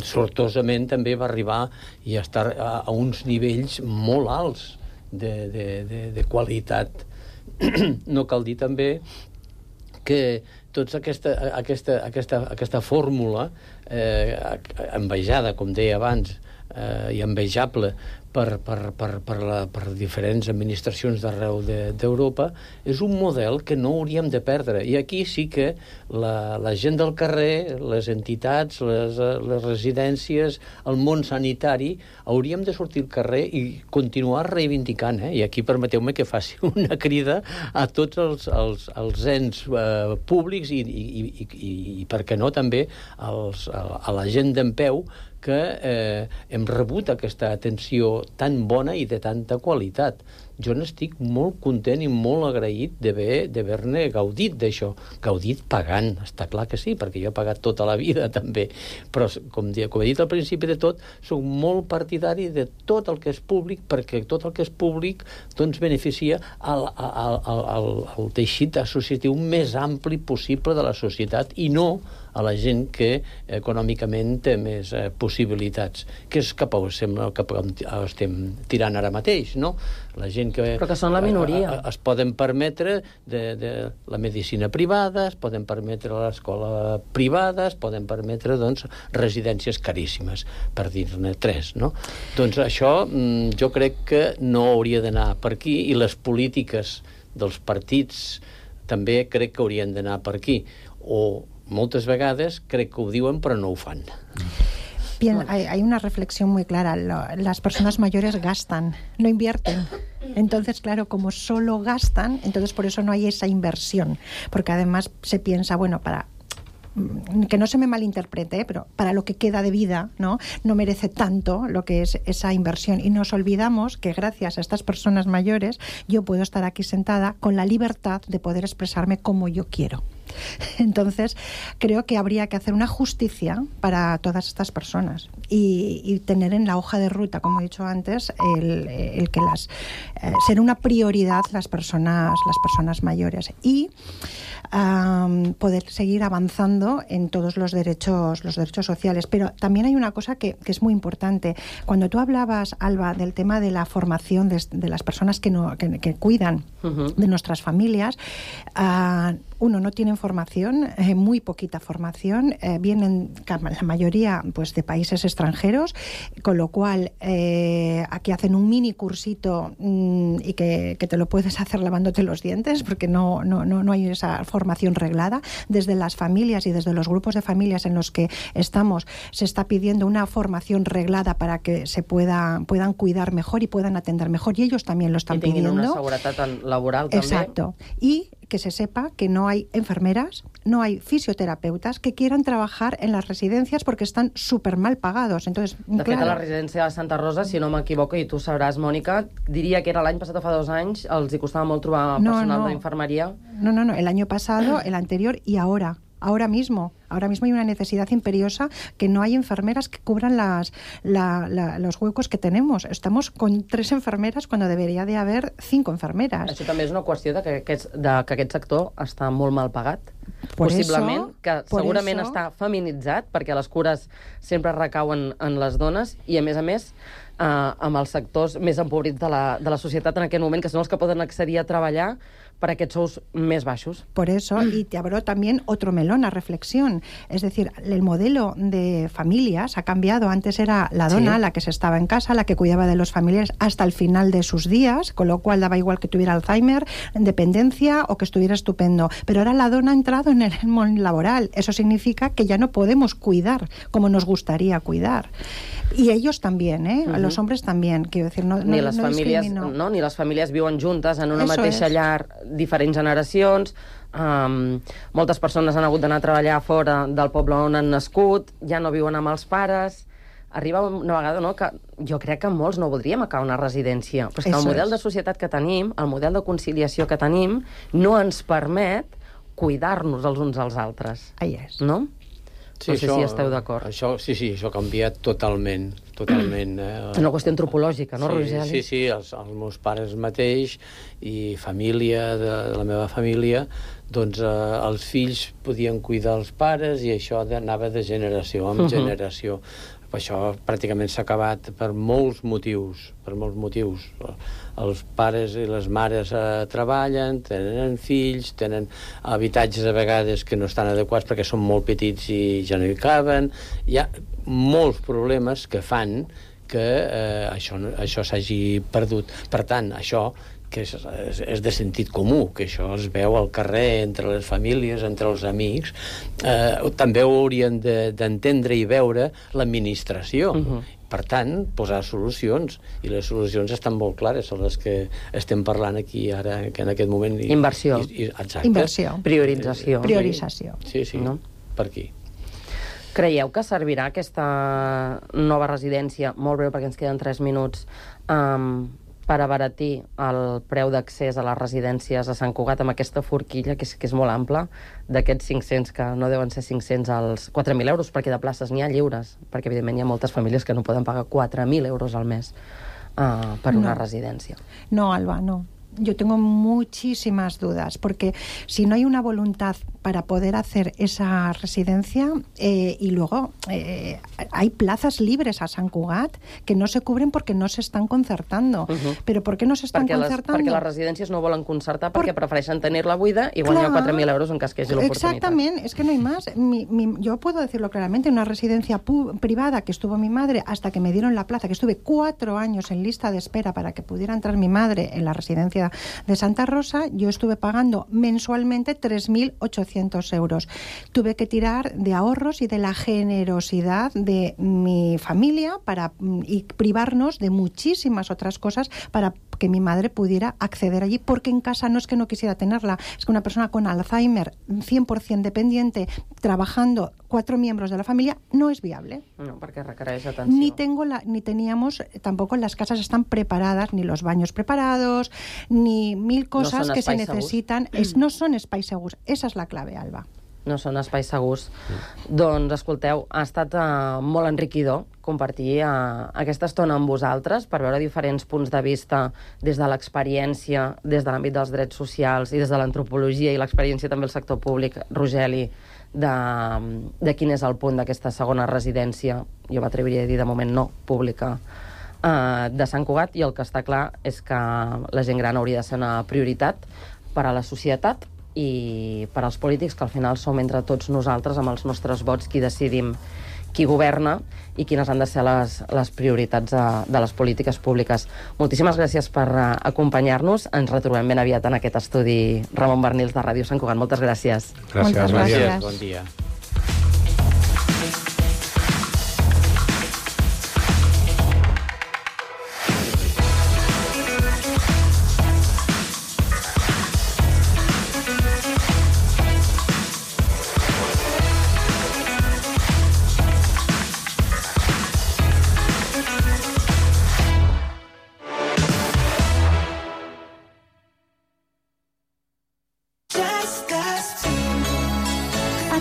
sortosament també va arribar i estar a uns nivells molt alts de qualitat. No cal dir també que tota aquesta fórmula envejada, com deia abans, i envejable per diferents administracions d'arreu d'Europa, és un model que no hauríem de perdre. I aquí sí que la gent del carrer, les entitats, les residències, el món sanitari, hauríem de sortir al carrer i continuar reivindicant. I aquí permeteu-me que faci una crida a tots els ens públics i per què no, també a la gent d'en peu, que hem rebut aquesta atenció tan bona i de tanta qualitat. Jo n'estic molt content i molt agraït d'haver-ne gaudit d'això. Gaudit pagant, està clar que sí, perquè jo he pagat tota la vida també. Però, com he dit al principi de tot, soc molt partidari de tot el que és públic, perquè tot el que és públic doncs beneficia al teixit associatiu més ampli possible de la societat i no a la gent que econòmicament té més possibilitats, que és cap a on estem tirant ara mateix, no? La gent però que són la minoria. Es poden permetre de la medicina privada, es poden permetre l'escola privada, es poden permetre, doncs, residències caríssimes, per dir-ne 3, no? Doncs això jo crec que no hauria d'anar per aquí, i les polítiques dels partits també crec que haurien d'anar per aquí. O moltes vegades crec que ho diuen però no ho fan. Bien, hay una reflexión muy clara. Las personas mayores gastan, no invierten. Entonces, claro, como solo gastan, entonces por eso no hay esa inversión. Porque además se piensa, bueno, para que no se me malinterprete, pero para lo que queda de vida, ¿no merece tanto lo que es esa inversión. Y nos olvidamos que gracias a estas personas mayores yo puedo estar aquí sentada con la libertad de poder expresarme como yo quiero. Entonces, creo que habría que hacer una justicia para todas estas personas y tener en la hoja de ruta, como he dicho antes, el que ser una prioridad las personas mayores y poder seguir avanzando en todos los derechos sociales. Pero también hay una cosa que es muy importante. Cuando tú hablabas, Alba, del tema de la formación de las personas que cuidan de nuestras familias, uno, no tienen formación, muy poquita formación, vienen la mayoría pues de países extranjeros, con lo cual aquí hacen un mini cursito y que te lo puedes hacer lavándote los dientes, porque no hay esa formación reglada. Desde las familias y desde los grupos de familias en los que estamos se está pidiendo una formación reglada para que se puedan cuidar mejor y puedan atender mejor, y ellos también lo están pidiendo. I tinguin una seguretat laboral també. Exacto. Y que se sepa que no hay enfermeras, no hay fisioterapeutas que quieran trabajar en las residencias porque están súper mal pagados. Entonces, de fet, a la residència de Santa Rosa, si no m'equivoco, i tu sabràs, Mònica, diria que era l'any passat o fa 2 anys, els hi costava molt trobar personal d'infermeria. No, el año pasado, el anterior y ahora. Ahora mismo hay una necesidad imperiosa, que no hay enfermeras que cubran los huecos que tenemos. Estamos con 3 enfermeras cuando debería de haber 5 enfermeras. Això també és una qüestió de que aquest sector està molt mal pagat. Possiblement, que segurament està feminitzat, perquè les cures sempre recauen en les dones, i a més, amb els sectors més empobrits de la societat en aquest moment, que són els que poden accedir a treballar per aquests sous més baixos. Por eso, y te abro también otro melón a reflexión. Es decir, el modelo de familias ha cambiado. Antes era la dona, la que se estaba en casa, la que cuidaba de los familiares hasta el final de sus días, con lo cual daba igual que tuviera Alzheimer, dependencia o que estuviera estupendo. Pero ahora la dona ha entrado en el mundo laboral. Eso significa que ya no podemos cuidar como nos gustaría cuidar. Y ellos también, los hombres también, quiero decir, ni les famílies viuen juntes en una mateixa llar, diferents generacions, moltes persones han hagut d'anar a treballar fora del poble on han nascut, ja no viuen amb els pares. Arriba una vegada, no?, que jo crec que molts no voldríem acabar una residència, però és que el model de societat que tenim, el model de conciliació que tenim, no ens permet cuidar-nos els uns als altres. Ahí és. No? Sí, no sé si esteu d'acord. Això ha canviat totalment. És una qüestió antropològica, no, Rogeli? Sí, els meus pares mateix i família de la meva família, doncs els fills podien cuidar els pares i això anava de generació en generació. Això pràcticament s'ha acabat per molts motius. Els pares i les mares treballen, tenen fills, tenen habitatges a vegades que no estan adequats perquè són molt petits i ja no hi caben. Hi ha molts problemes que fan que això s'hagi perdut. Per tant, això que és de sentit comú, que això es veu al carrer, entre les famílies, entre els amics, també ho haurien d'entendre i veure l'administració. Per tant, posar solucions, i les solucions estan molt clares, són les que estem parlant aquí ara, que en aquest moment... Inversió. Inversió. Priorització. Priorització. Sí, per aquí. Creieu que servirà aquesta nova residència, molt breu perquè ens queden 3 minuts, per abaratir el preu d'accés a les residències a Sant Cugat amb aquesta forquilla, que és molt ampla, d'aquests 500, que no deuen ser 500 als 4.000 euros, perquè de places n'hi ha lliures, perquè evidentment hi ha moltes famílies que no poden pagar 4.000 euros al mes per una residència. No, Alba, no. Yo tengo muchísimas dudas, porque si no hay una voluntad para poder hacer esa residencia, y luego hay plazas libres a Sant Cugat que no se cubren porque no se están concertando. Però ¿por qué no se están concertando? Perquè les residències no volen concertar, perquè prefereixen tenir-la buida i guanyar 4.000 euros en cas que hi hagi l'oportunitat. Exactamente, es que no hay más. Yo puedo decirlo claramente, en una residencia privada que estuvo mi madre hasta que me dieron la plaza, que estuve 4 años en lista de espera para que pudiera entrar mi madre en la residencia Residencia de Santa Rosa, yo estuve pagando mensualmente 3.800 euros. Tuve que tirar de ahorros y de la generosidad de mi familia y privarnos de muchísimas otras cosas para que mi madre pudiera acceder allí, porque en casa no es que no quisiera tenerla, es que una persona con Alzheimer 100% dependiente, trabajando 4 miembros de la familia, no es viable. No, perquè requereix atenció. Ni teníamos, tampoco las casas están preparadas, ni los baños preparados, ni mil cosas que se necesitan. No són espais segurs. Esa és la clave, Alba. No són espais segurs. Doncs, escolteu, ha estat molt enriquidor compartir aquesta estona amb vosaltres per veure diferents punts de vista des de l'experiència, des de l'àmbit dels drets socials i des de l'antropologia i l'experiència també del sector públic, Rogeli, de quin és el punt d'aquesta segona residència, jo m'atreviria a dir de moment no pública, de Sant Cugat, i el que està clar és que la gent gran hauria de ser una prioritat per a la societat i per als polítics, que al final som entre tots nosaltres, amb els nostres vots, qui decidim qui governa i quines han de ser les prioritats de les polítiques públiques. Moltíssimes gràcies per acompanyar-nos. Ens retrobem ben aviat en aquest estudi Ramon Barnils de Ràdio Sant Cugat. Moltes gràcies. Gràcies. Bon dia.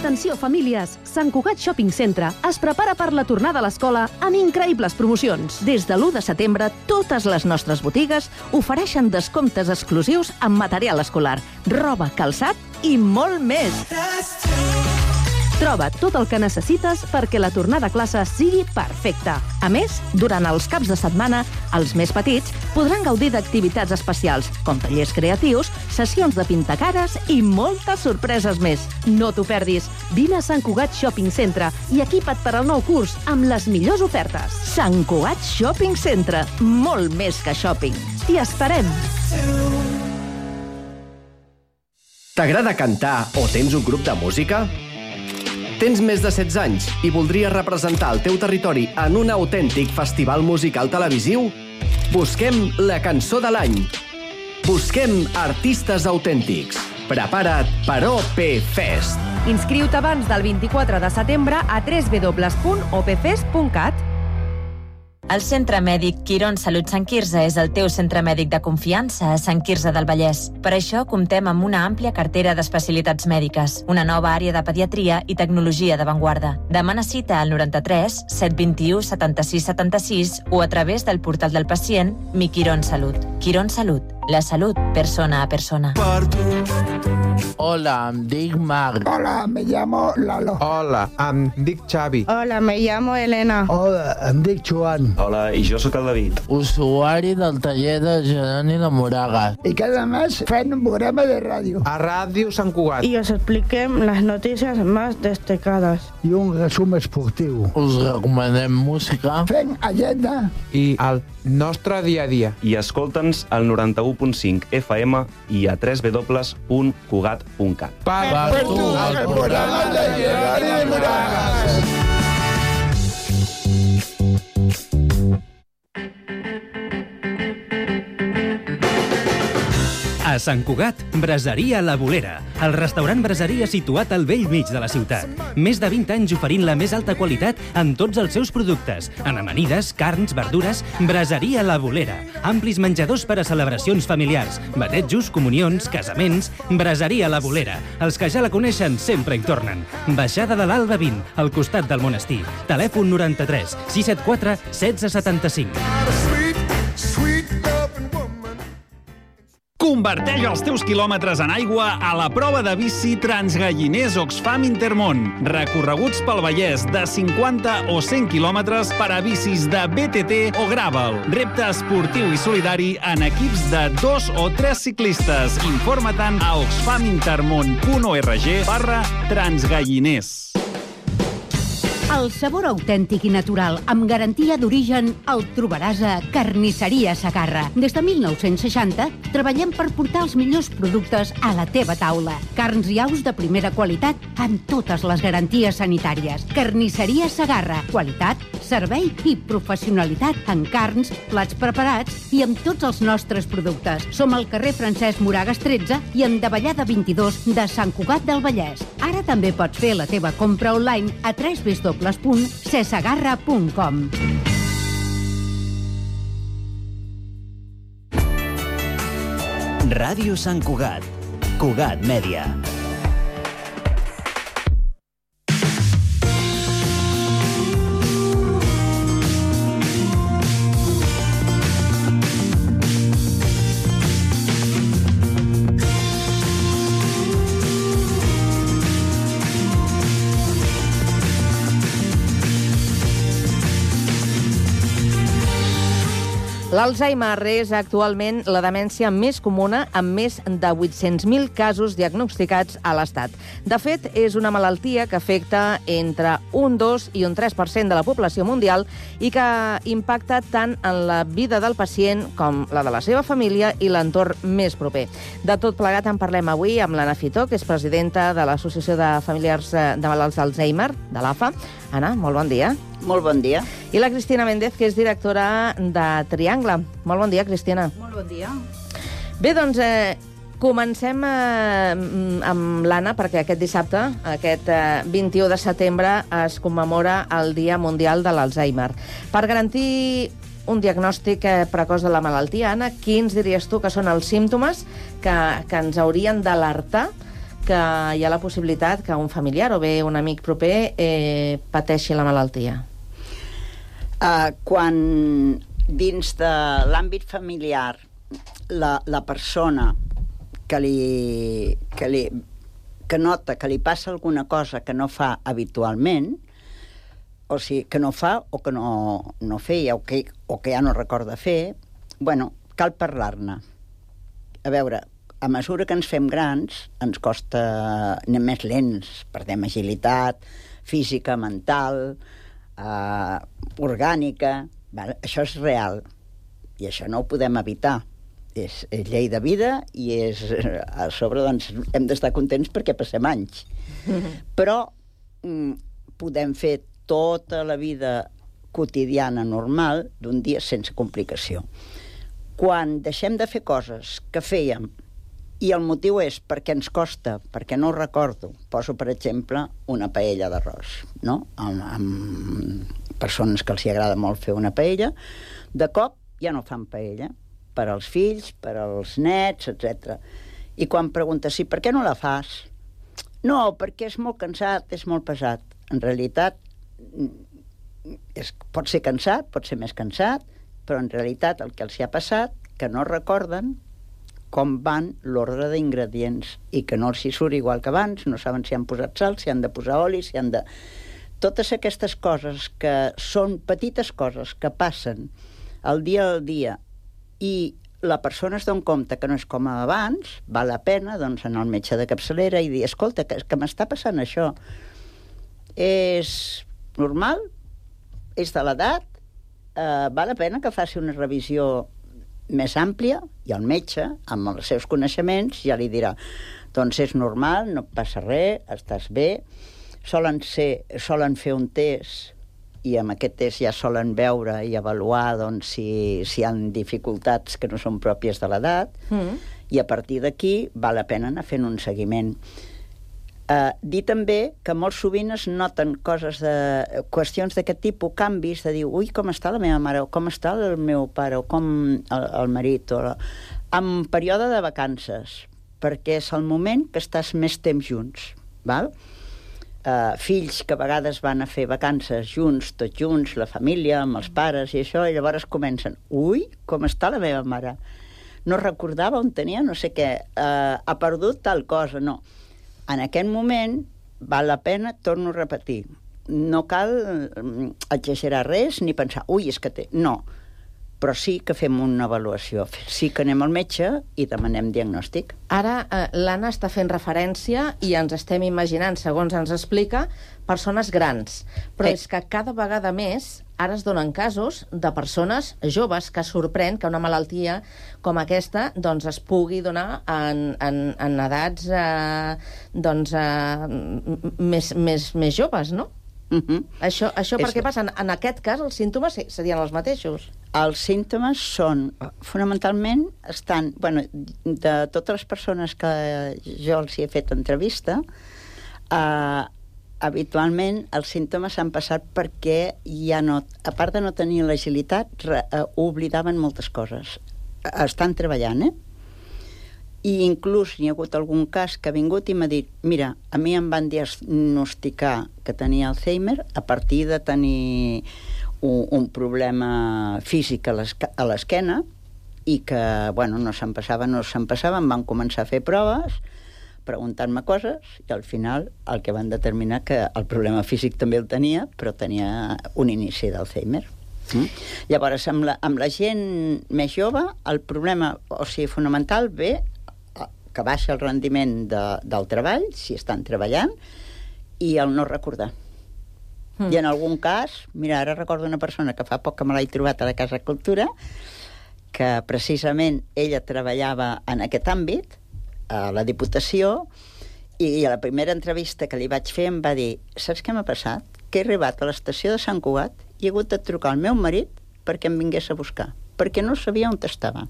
Atenció, famílies! Sant Cugat Shopping Centre es prepara per la tornada a l'escola amb increïbles promocions. Des de l'1 de setembre, totes les nostres botigues ofereixen descomptes exclusius en material escolar, roba, calçat i molt més. Troba tot el que necessites perquè la tornada a classe sigui perfecta. A més, durant els caps de setmana, els més petits podran gaudir d'activitats especials, com tallers creatius, sessions de pintacares i moltes sorpreses més. No t'ho perdis. Vine a Sant Cugat Shopping Centre i equipa't per al nou curs amb les millors ofertes. Sant Cugat Shopping Centre. Molt més que shopping. T'hi esperem. T'agrada cantar o tens un grup de música? Tens més de 16 anys i voldries representar el teu territori en un autèntic festival musical televisiu? Busquem la cançó de l'any. Busquem artistes autèntics. Prepara't per OP Fest. Inscriu-te abans del 24 de setembre a www.opfest.cat. El Centre Mèdic Quirón Salut Sant Quirze és el teu centre mèdic de confiança a Sant Quirze del Vallès. Per això comptem amb una àmplia cartera d'especialitats mèdiques, una nova àrea de pediatria i tecnologia d'avantguarda. Demana cita al 93 721 76 76 o a través del portal del pacient Mi Quirón Salut. Quirón Salut, la salut persona a persona. Hola, em dic Marc. Hola, me llamo Lalo. Hola, em dic Xavi. Hola, me llamo Elena. Hola, em dic Joan. Hola, i jo sóc el David. Usuari del taller de Jeroni de Moragas. Y cada mes fem un programa de ràdio. A Ràdio Sant Cugat. Y os expliquem les notícies més destacades. I un resum esportiu. Us recomanem música. Fem agenda. I el nostre dia a dia. I escolta'ns al 91.5 FM i a www.cugat.cat. Per tu, el programa de Jeroni de Moragas. A Sant Cugat, Braseria La Bolera, el restaurant braseria situat al vell mig de la ciutat. Més de 20 anys oferint la més alta qualitat en tots els seus productes. En amanides, carns, verdures, Braseria La Bolera. Amplis menjadors per a celebracions familiars, batejos, comunions, casaments. Braseria La Bolera. Els que ja la coneixen sempre hi tornen. Baixada de l'Alba 20, al costat del monestir. Telèfon 93 674 1675. Converteix els teus quilòmetres en aigua a la prova de bici Transgalliners Oxfam Intermón. Recorreguts pel Vallès de 50 o 100 quilòmetres per a bicis de BTT o Gravel. Repte esportiu i solidari en equips de 2 o 3 ciclistes. Informa-te'n a oxfamintermon.org/transgalliners. El sabor autèntic i natural, amb garantia d'origen, el trobaràs a Carnisseria Segarra. Des de 1960 treballem per portar els millors productes a la teva taula. Carns i aus de primera qualitat amb totes les garanties sanitàries. Carnisseria Segarra. Qualitat, servei i professionalitat en carns, plats preparats i amb tots els nostres productes. Som al carrer Francesc Moragas 13 i en Davallada 22 de Sant Cugat del Vallès. Ara també pots fer la teva compra online a www.cesegarra.com. Ràdio Sant Cugat. Cugat Mèdia. L'Alzheimer és actualment la demència més comuna, amb més de 800.000 casos diagnosticats a l'Estat. De fet, és una malaltia que afecta entre un 2 i un 3% de la població mundial i que impacta tant en la vida del pacient com la de la seva família i l'entorn més proper. De tot plegat en parlem avui amb l'Anna Fitó, que és presidenta de l'Associació de Familiars de Malalts d'Alzheimer, de l'AFA. Anna, molt bon dia. Molt bon dia. I la Cristina Méndez, que és directora de Triangle. Molt bon dia, Cristina. Molt bon dia. Bé, doncs, comencem amb l'Anna, perquè aquest dissabte, aquest 21 de setembre, es commemora el Dia Mundial de l'Alzheimer. Per garantir un diagnòstic precoç de la malaltia, Anna, quins diries tu que són els símptomes que ens haurien d'alertar que hi ha la possibilitat que un familiar o bé un amic proper pateixi la malaltia? Quan dins de l'àmbit familiar la persona que nota que li passa alguna cosa que no fa habitualment, o sigui, que no fa o que no feia o que ja no recorda fer, bueno, cal parlar-ne. A veure, a mesura que ens fem grans, ens costa, anem més lents, perdem agilitat física, mental, orgànica. Això és real i això no ho podem evitar. És llei de vida i a sobre doncs, hem d'estar contents perquè passem anys. Però podem fer tota la vida quotidiana normal d'un dia sense complicació. Quan deixem de fer coses que fèiem i el motiu és perquè ens costa, perquè no ho recordo, poso per exemple una paella d'arròs, no? Amb persones que els agrada molt fer una paella, de cop ja no fan paella, per als fills, per als nets, etc. I quan preguntes, per què no la fas? No, perquè és molt cansat, és molt pesat. En realitat, pot ser cansat, pot ser més cansat, però en realitat el que els hi ha passat, que no recorden com van l'ordre d'ingredients i que no els hi surt igual que abans, no saben si han posat sal, si han de posar oli, si han de... Totes aquestes coses que són petites coses que passen al dia i la persona es dona compte que no és com abans, val la pena doncs, anar al metge de capçalera i dir, escolta, que m'està passant això. És normal? És de l'edat? Val la pena que faci una revisió més àmplia i el metge, amb els seus coneixements, ja li dirà doncs és normal, no passa res, estàs bé. Solen fer un test i amb aquest test ja solen veure i avaluar doncs, si hi ha dificultats que no són pròpies de l'edat i a partir d'aquí val la pena anar fent un seguiment. Dir també que molt sovint es noten qüestions d'aquest tipus, canvis de dir, ui, com està la meva mare, o com està el meu pare, o com el marit, en període de vacances, perquè és el moment que estàs més temps junts, val? Fills que a vegades van a fer vacances junts, tots junts, la família, amb els pares i això, i llavors comencen, ui, com està la meva mare? No recordava on tenia no sé què, ha perdut tal cosa, no. En aquest moment val la pena, torno a repetir, no cal exagerar res ni pensar, ui, és que té... No, Però sí que fem una avaluació, sí que anem al metge i demanem diagnòstic. Ara l'Anna està fent referència i ens estem imaginant, segons ens explica, persones grans. Però és que cada vegada més ara es donen casos de persones joves que sorprèn que una malaltia com aquesta doncs, es pugui donar en edats més joves, no? Això per què passa? En aquest cas, els símptomes serien els mateixos? Els símptomes són, fonamentalment, de totes les persones que jo els hi he fet entrevista, habitualment els símptomes s'han passat perquè ja no, a part de no tenir l'agilitat, oblidaven moltes coses. Estan treballant, I inclús hi ha hagut algun cas que ha vingut i m'ha dit, mira, a mi em van diagnosticar que tenia Alzheimer a partir de tenir un problema físic a l'esquena i que, no se'n passava, em van començar a fer proves, preguntant-me coses, i al final el que van determinar que el problema físic també el tenia, però tenia un inici d'Alzheimer. Llavors, amb la gent més jove, el problema, fonamental, ve que baixa el rendiment del treball, si estan treballant, i el no recordar. I en algun cas, mira, ara recordo una persona que fa poc que me l'he trobat a la Casa Cultura, que precisament ella treballava en aquest àmbit, a la Diputació, i a la primera entrevista que li vaig fer em va dir, saps què m'ha passat? Que he arribat a l'estació de Sant Cugat i he hagut de trucar al meu marit perquè em vingués a buscar, perquè no sabia on estava.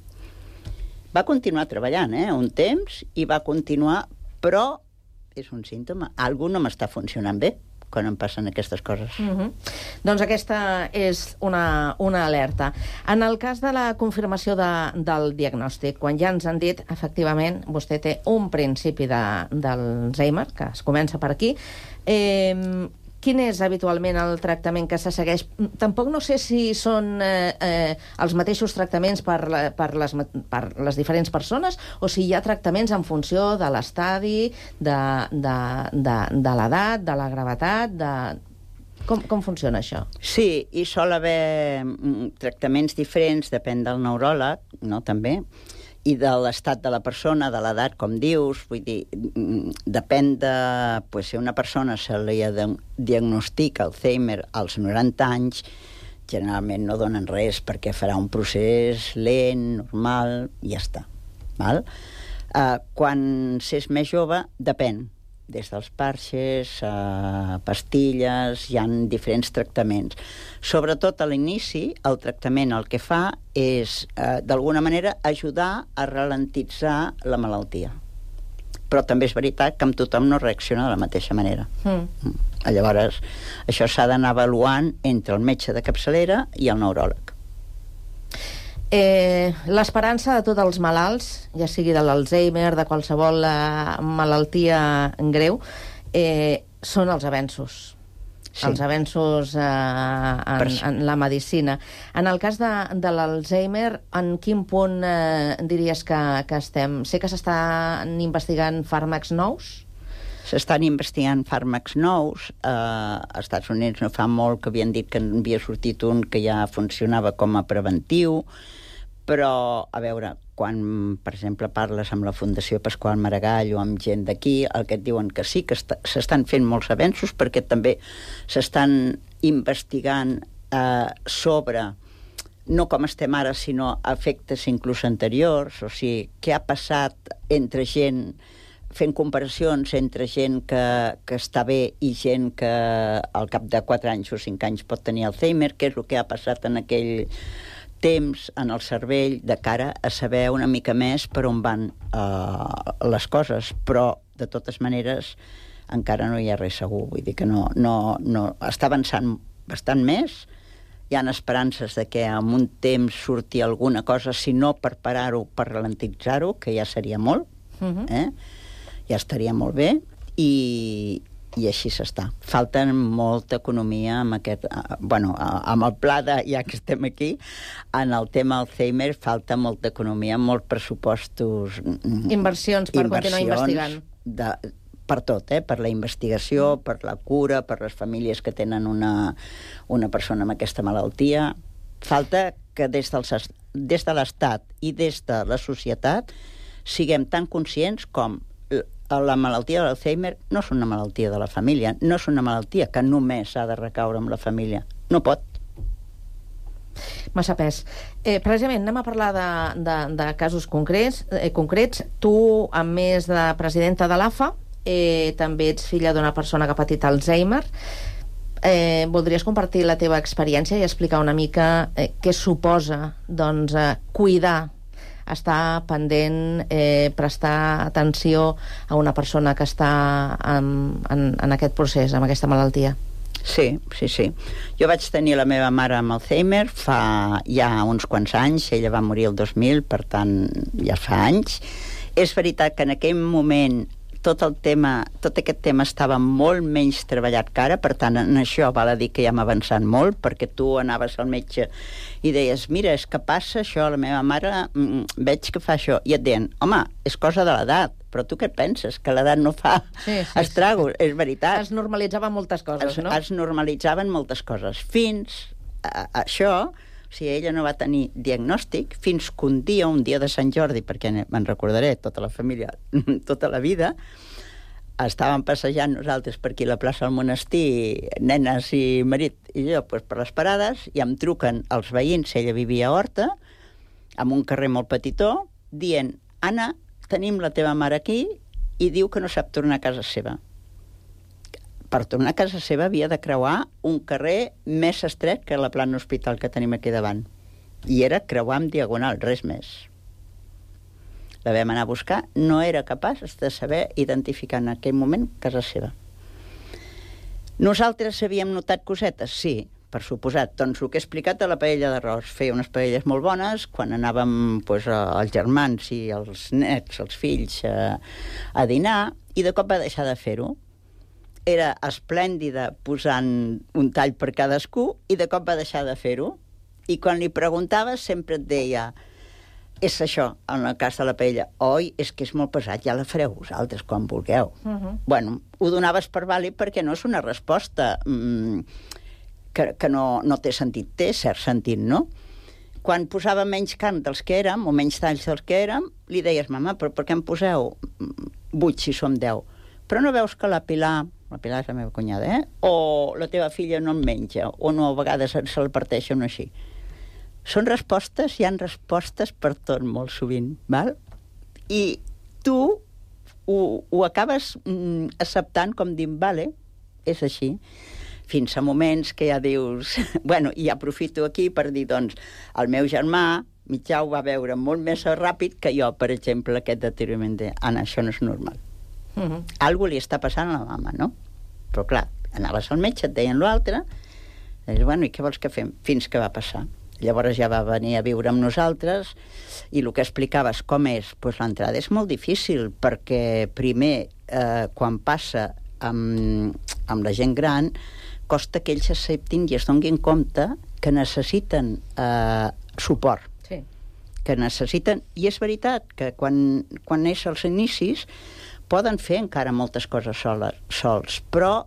Va continuar treballant, un temps, i va continuar, però és un símptoma. Algú no m'està funcionant bé quan em passen aquestes coses. Doncs aquesta és una alerta. En el cas de la confirmació del diagnòstic, quan ja ens han dit, efectivament, vostè té un principi d'Alzheimer, que es comença per aquí, quin és habitualment el tractament que se segueix? Tampoc no sé si són els mateixos tractaments per les diferents persones o si hi ha tractaments en funció de l'estadi, de l'edat, de la gravetat, Com funciona això? Sí, hi sol haver tractaments diferents, depèn del neuròleg, no, també, i de l'estat de la persona, de l'edat, com dius, vull dir, depèn de... si una persona se li diagnostica Alzheimer als 90 anys, generalment no donen res perquè farà un procés lent, normal, i ja està. Val? Quan s'és més jove, depèn. Des dels parxes, pastilles, hi ha diferents tractaments. Sobretot a l'inici, el tractament el que fa és, d'alguna manera, ajudar a ralentitzar la malaltia. Però també és veritat que amb tothom no reacciona de la mateixa manera. Llavors, això s'ha d'anar avaluant entre el metge de capçalera i el neuròleg. L'esperança de tots els malalts, ja sigui de l'Alzheimer, de qualsevol malaltia greu, són els avenços. Sí. Els avenços en la medicina. En el cas de l'Alzheimer, en quin punt diries que estem? Sé que s'estan investigant fàrmacs nous? S'estan investigant fàrmacs nous. Als Estats Units no fa molt que havien dit que havia sortit un que ja funcionava com a preventiu, però, a veure, quan, per exemple, parles amb la Fundació Pasqual Maragall o amb gent d'aquí, el que et diuen que sí, que s'estan fent molts avenços perquè també s'estan investigant sobre, no com estem ara, sinó efectes inclús anteriors, o sigui, què ha passat entre gent, fent comparacions entre gent que està bé i gent que al cap de 4 anys o 5 anys pot tenir Alzheimer, què és el que ha passat en aquell temps en el cervell de cara a saber una mica més per on van les coses, però de totes maneres encara no hi ha res segur, vull dir que no està avançant bastant més, hi ha esperances de que en un temps surti alguna cosa, si no per parar-ho, per ralentitzar-ho, que ja seria molt, ja estaria molt bé, i així s'està. Falta molta economia amb aquest... amb el pla de, ja que estem aquí, en el tema Alzheimer falta molta economia, molts pressupostos... Inversions per continuar investigant. Per tot, per la investigació, per la cura, per les famílies que tenen una persona amb aquesta malaltia, Falta que des de l'Estat i des de la societat siguem tan conscients com la malaltia de l'Alzheimer no és una malaltia de la família, no és una malaltia que només ha de recaure amb la família. No pot. Massa pes. Precisament, anem a parlar de casos concrets. Tu, a més de presidenta de l'AFA, també ets filla d'una persona que ha patit Alzheimer. Voldries compartir la teva experiència i explicar una mica què suposa cuidar, estar pendent, prestar atenció a una persona que està en aquest procés, amb aquesta malaltia? Sí. Jo vaig tenir la meva mare amb Alzheimer fa ja uns quants anys. Ella va morir el 2000, per tant, ja fa anys. És veritat que en aquell moment tot aquest tema estava molt menys treballat que ara, per tant, en això val a dir que ja hem avançat molt, perquè tu anaves al metge i deies, mira, és que passa això, la meva mare veig que fa això, i et deien, home, és cosa de l'edat, però tu què penses? Que l'edat no fa estragos, és veritat. Es normalitzaven moltes coses, no? Es normalitzaven moltes coses. Fins a això, o sigui, ella no va tenir diagnòstic fins que un dia de Sant Jordi, perquè me'n recordaré, tota la família, tota la vida, estàvem passejant nosaltres per aquí a la plaça del Monestir, nenes i marit i jo, per les parades, i em truquen els veïns, ella vivia a Horta, en un carrer molt petitó, dient, Anna, tenim la teva mare aquí i diu que no sap tornar a casa seva. Per tornar a casa seva havia de creuar un carrer més estret que la plana hospital que tenim aquí davant. I era creuar en diagonal, res més. La vam anar a buscar, no era capaç de saber identificar en aquell moment casa seva. Nosaltres havíem notat cosetes? Sí, per suposat. Doncs el que he explicat a la paella d'arròs. Feia unes paelles molt bones, quan anàvem els germans i els nets, els fills, a dinar, i de cop va deixar de fer-ho. Era esplèndida posant un tall per cadascú i de cop va deixar de fer-ho. I quan li preguntaves sempre et deia, és això, en el cas de la paella, oi, és que és molt pesat, ja la fareu vosaltres quan vulgueu. Bueno, ho donaves per vàlid perquè no és una resposta que no té sentit, té cert sentit, no? Quan posava menys carn dels que érem, o menys talls dels que érem, li deies, mama, però per què em poseu 8 si som 10? Però no veus que la Pilar és la meva cunyada, o la teva filla no en menja, o no, a vegades se la parteixen així. Són respostes, hi han respostes per tot, molt sovint, val? I tu ho acabes acceptant com dient, vale, és així. Fins a moments que ja dius... Bueno, i aprofito aquí per dir, doncs, el meu germà, Mitjà, ho va veure molt més ràpid que jo, per exemple, aquest deteriorament de Anna, això no és normal. Algú li està passant a la mama, no? Però clar, anaves al metge, et deien l'altre, i deies, bueno, i què vols que fem? Fins que va passar. Llavors ja va venir a viure amb nosaltres, i el que explicaves com és, doncs l'entrada és molt difícil, perquè primer, quan passa amb la gent gran, costa que ells s'acceptin i es donin compte que necessiten suport. Que necessiten, i és veritat que quan és als inicis poden fer encara moltes coses sols, però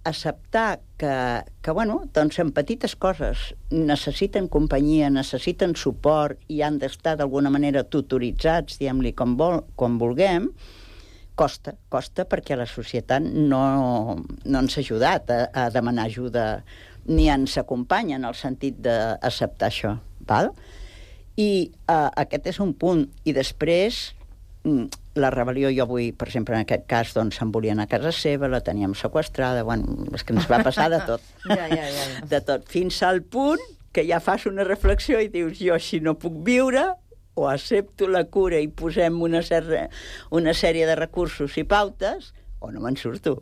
acceptar que bueno, doncs en petites coses necessiten companyia, necessiten suport i han d'estar d'alguna manera tutoritzats, diguem-li com vulguem, costa perquè la societat no ens ha ajudat a demanar ajuda ni ens acompanya en el sentit d'acceptar això, val? I aquest és un punt. I després la rebel·lió, jo vull, per exemple, en aquest cas, doncs se'n volien a casa seva, la teníem seqüestrada, bueno, és que ens va passar de tot. De tot, fins al punt que ja fas una reflexió i dius, jo si no puc viure, o accepto la cura i posem una sèrie de recursos i pautes, o no me'n surto.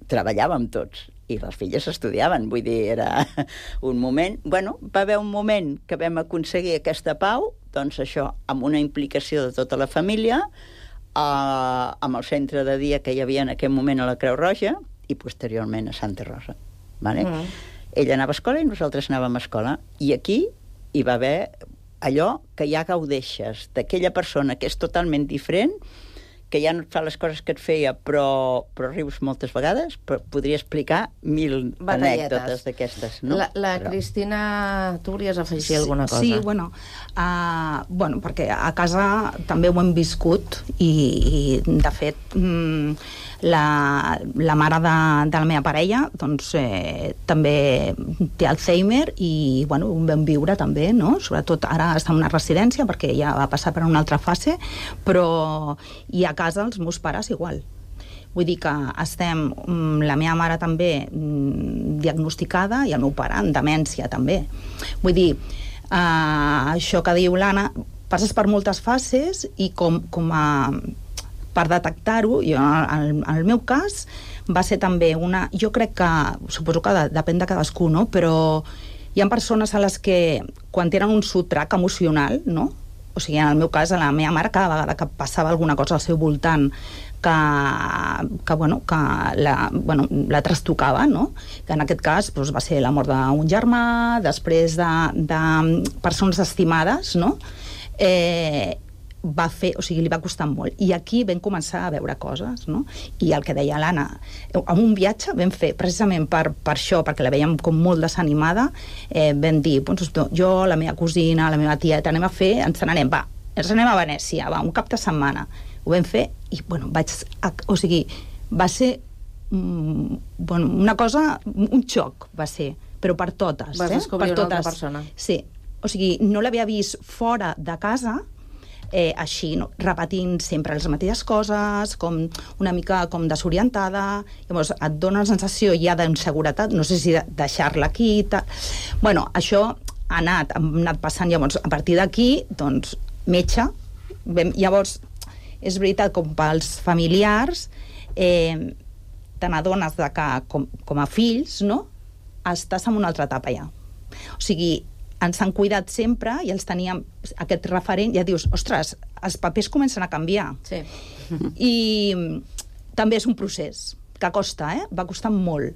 Treballàvem tots, i les filles estudiaven, vull dir, era un moment... Bueno, va haver un moment que vam aconseguir aquesta pau, doncs això, amb una implicació de tota la família, amb el centre de dia que hi havia en aquell moment a la Creu Roja i posteriorment a Santa Rosa. Vale? Ella anava a escola i nosaltres anàvem a escola. I aquí hi va haver allò que ja gaudeixes d'aquella persona que és totalment diferent, que ja no et fa les coses que et feia, però rius moltes vegades, però podria explicar 1000 anècdotes d'aquestes, no? La Cristina, tu volies afegir alguna cosa? Sí, bueno, perquè a casa també ho hem viscut i de fet, la mare de la meva parella doncs, també té Alzheimer i bueno, ho vam viure també, no? Sobretot ara està en una residència perquè ja va passar per una altra fase, però i a casa els meus pares igual. Vull dir que estem, la meva mare també diagnosticada i el meu pare en demència també. Vull dir, això que diu l'Anna, passes per moltes fases i per detectar-ho, jo, en el meu cas va ser també jo crec que, suposo que depèn de cadascú, no? Però hi ha persones a les que quan tenen un sotrac emocional, no? O sigui, en el meu cas, a la meva mare, cada vegada que passava alguna cosa al seu voltant que la trastocava, no? Que en aquest cas doncs, va ser la mort d'un germà, després de persones estimades, no? Li va costar molt. I aquí vam començar a veure coses, no? I el que deia l'Anna, en un viatge vam fer, precisament per això, perquè la veiem com molt desanimada, vam dir, jo, la meva cosina, la meva tieta, ens n'anem a Venècia, un cap de setmana. Ho vam fer i, va ser una cosa, un xoc va ser, però per totes. Vas descobrir una altra persona. Sí, o sigui, no l'havia vist fora de casa, així, no? Repetint sempre les mateixes coses, com una mica com desorientada, llavors et dona la sensació ja d'inseguretat, no sé si deixar-la aquí, bueno, això ha anat passant, llavors a partir d'aquí, doncs, metge, llavors és veritat, com pels familiars, te n'adones que com a fills, no?, estàs en una altra etapa ja. O sigui, ens han cuidat sempre i els teníem aquest referent, ja dius, ostres, els papers comencen a canviar. Sí. I també és un procés que costa, va costar molt.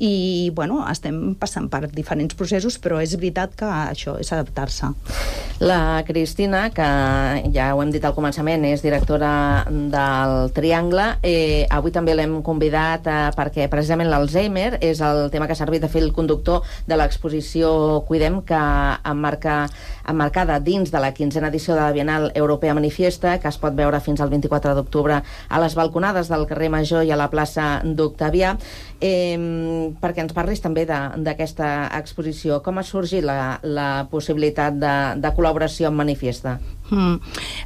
I, bueno, estem passant per diferents processos, però és veritat que això és adaptar-se. La Cristina, que ja ho hem dit al començament, és directora del Triangle. Avui també l'hem convidat perquè precisament l'Alzheimer és el tema que ha servit de fil conductor de l'exposició Cuidem, que emmarcada dins de la 15a edició de la Bienal Europea Manifiesta, que es pot veure fins al 24 d'octubre a les balconades del carrer Major i a la plaça d'Octavià. Perquè ens parlis també d'aquesta exposició. Com ha sorgit la possibilitat de col·laboració amb Manifiesta?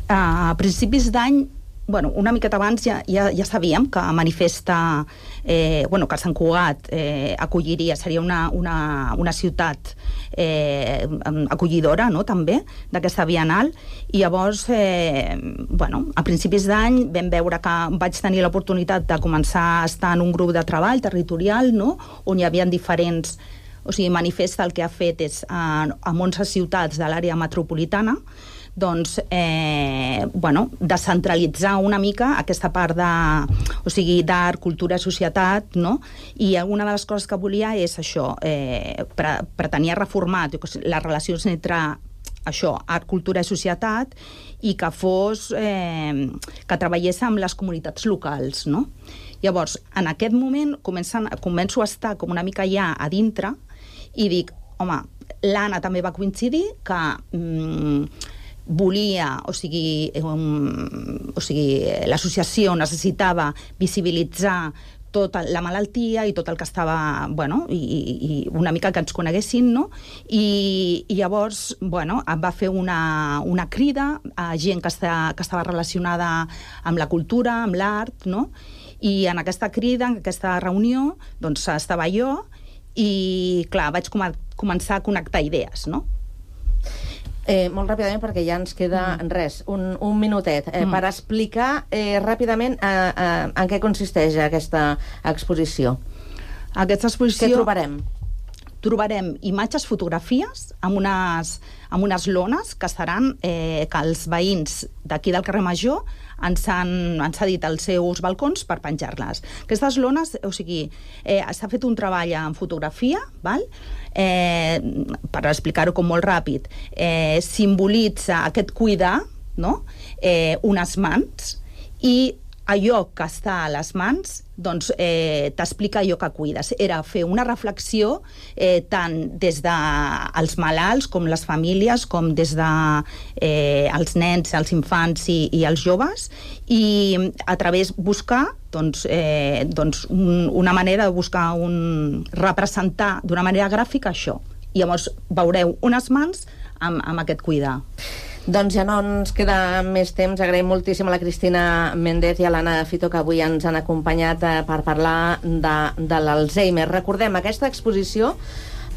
A principis d'any, una miqueta abans ja sabíem que Manifesta, que Sant Cugat acolliria, seria una ciutat acollidora, no?, també, d'aquesta Bienal, i llavors, a principis d'any vam veure que vaig tenir l'oportunitat de començar a estar en un grup de treball territorial, no?, on hi havia diferents... O sigui, Manifesta el que ha fet és, a 11 ciutats de l'àrea metropolitana, doncs, descentralitzar una mica aquesta part d'art, cultura, societat, no? I una de les coses que volia és això, pretenia reformar les relacions entre això, art, cultura i societat, i que fos, que treballés amb les comunitats locals, no? Llavors, en aquest moment començo a estar com una mica ja a dintre i dic, home, l'Anna també va coincidir que volia, l'associació necessitava visibilitzar tota la malaltia i tot el que estava, i una mica que ens coneguessin, no? I llavors, va fer una crida a gent que estava relacionada amb la cultura, amb l'art, no? I en aquesta crida, en aquesta reunió, doncs estava jo i, clar, vaig començar a connectar idees, no? Molt ràpidament, perquè ja ens queda un minutet, per explicar ràpidament en què consisteix aquesta exposició. Aquesta exposició... Què trobarem? Trobarem imatges, fotografies amb unes lones que seran que els veïns d'aquí del carrer Major ens han cedit els seus balcons per penjar-les. Aquestes lones, s'ha fet un treball en fotografia, per explicar-ho com molt ràpid, simbolitza aquest cuidar, no? Unes mans, i allò que està a les mans doncs t'explica allò que cuides. Era fer una reflexió tant des dels malalts com les famílies, com des dels nens, els infants i els joves, i a través buscar una manera de buscar representar d'una manera gràfica això. I llavors veureu unes mans amb aquest cuidar. Doncs ja no ens queda més temps. Agraïm moltíssim a la Cristina Méndez i a l'Anna Fito, que avui ens han acompanyat per parlar de l'Alzheimer. Recordem, aquesta exposició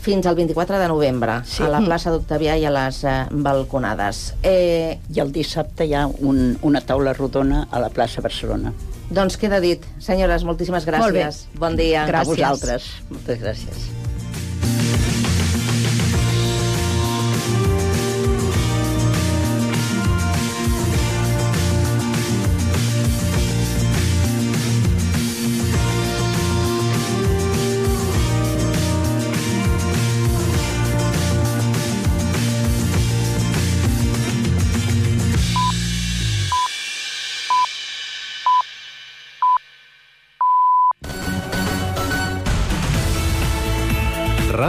fins al 24 de novembre, a la plaça d'Octavià i a les balconades. I el dissabte hi ha una taula rodona a la plaça Barcelona. Doncs queda dit. Senyores, moltíssimes gràcies. Molt bé. Bon dia. Gràcies. A vosaltres. Moltes gràcies.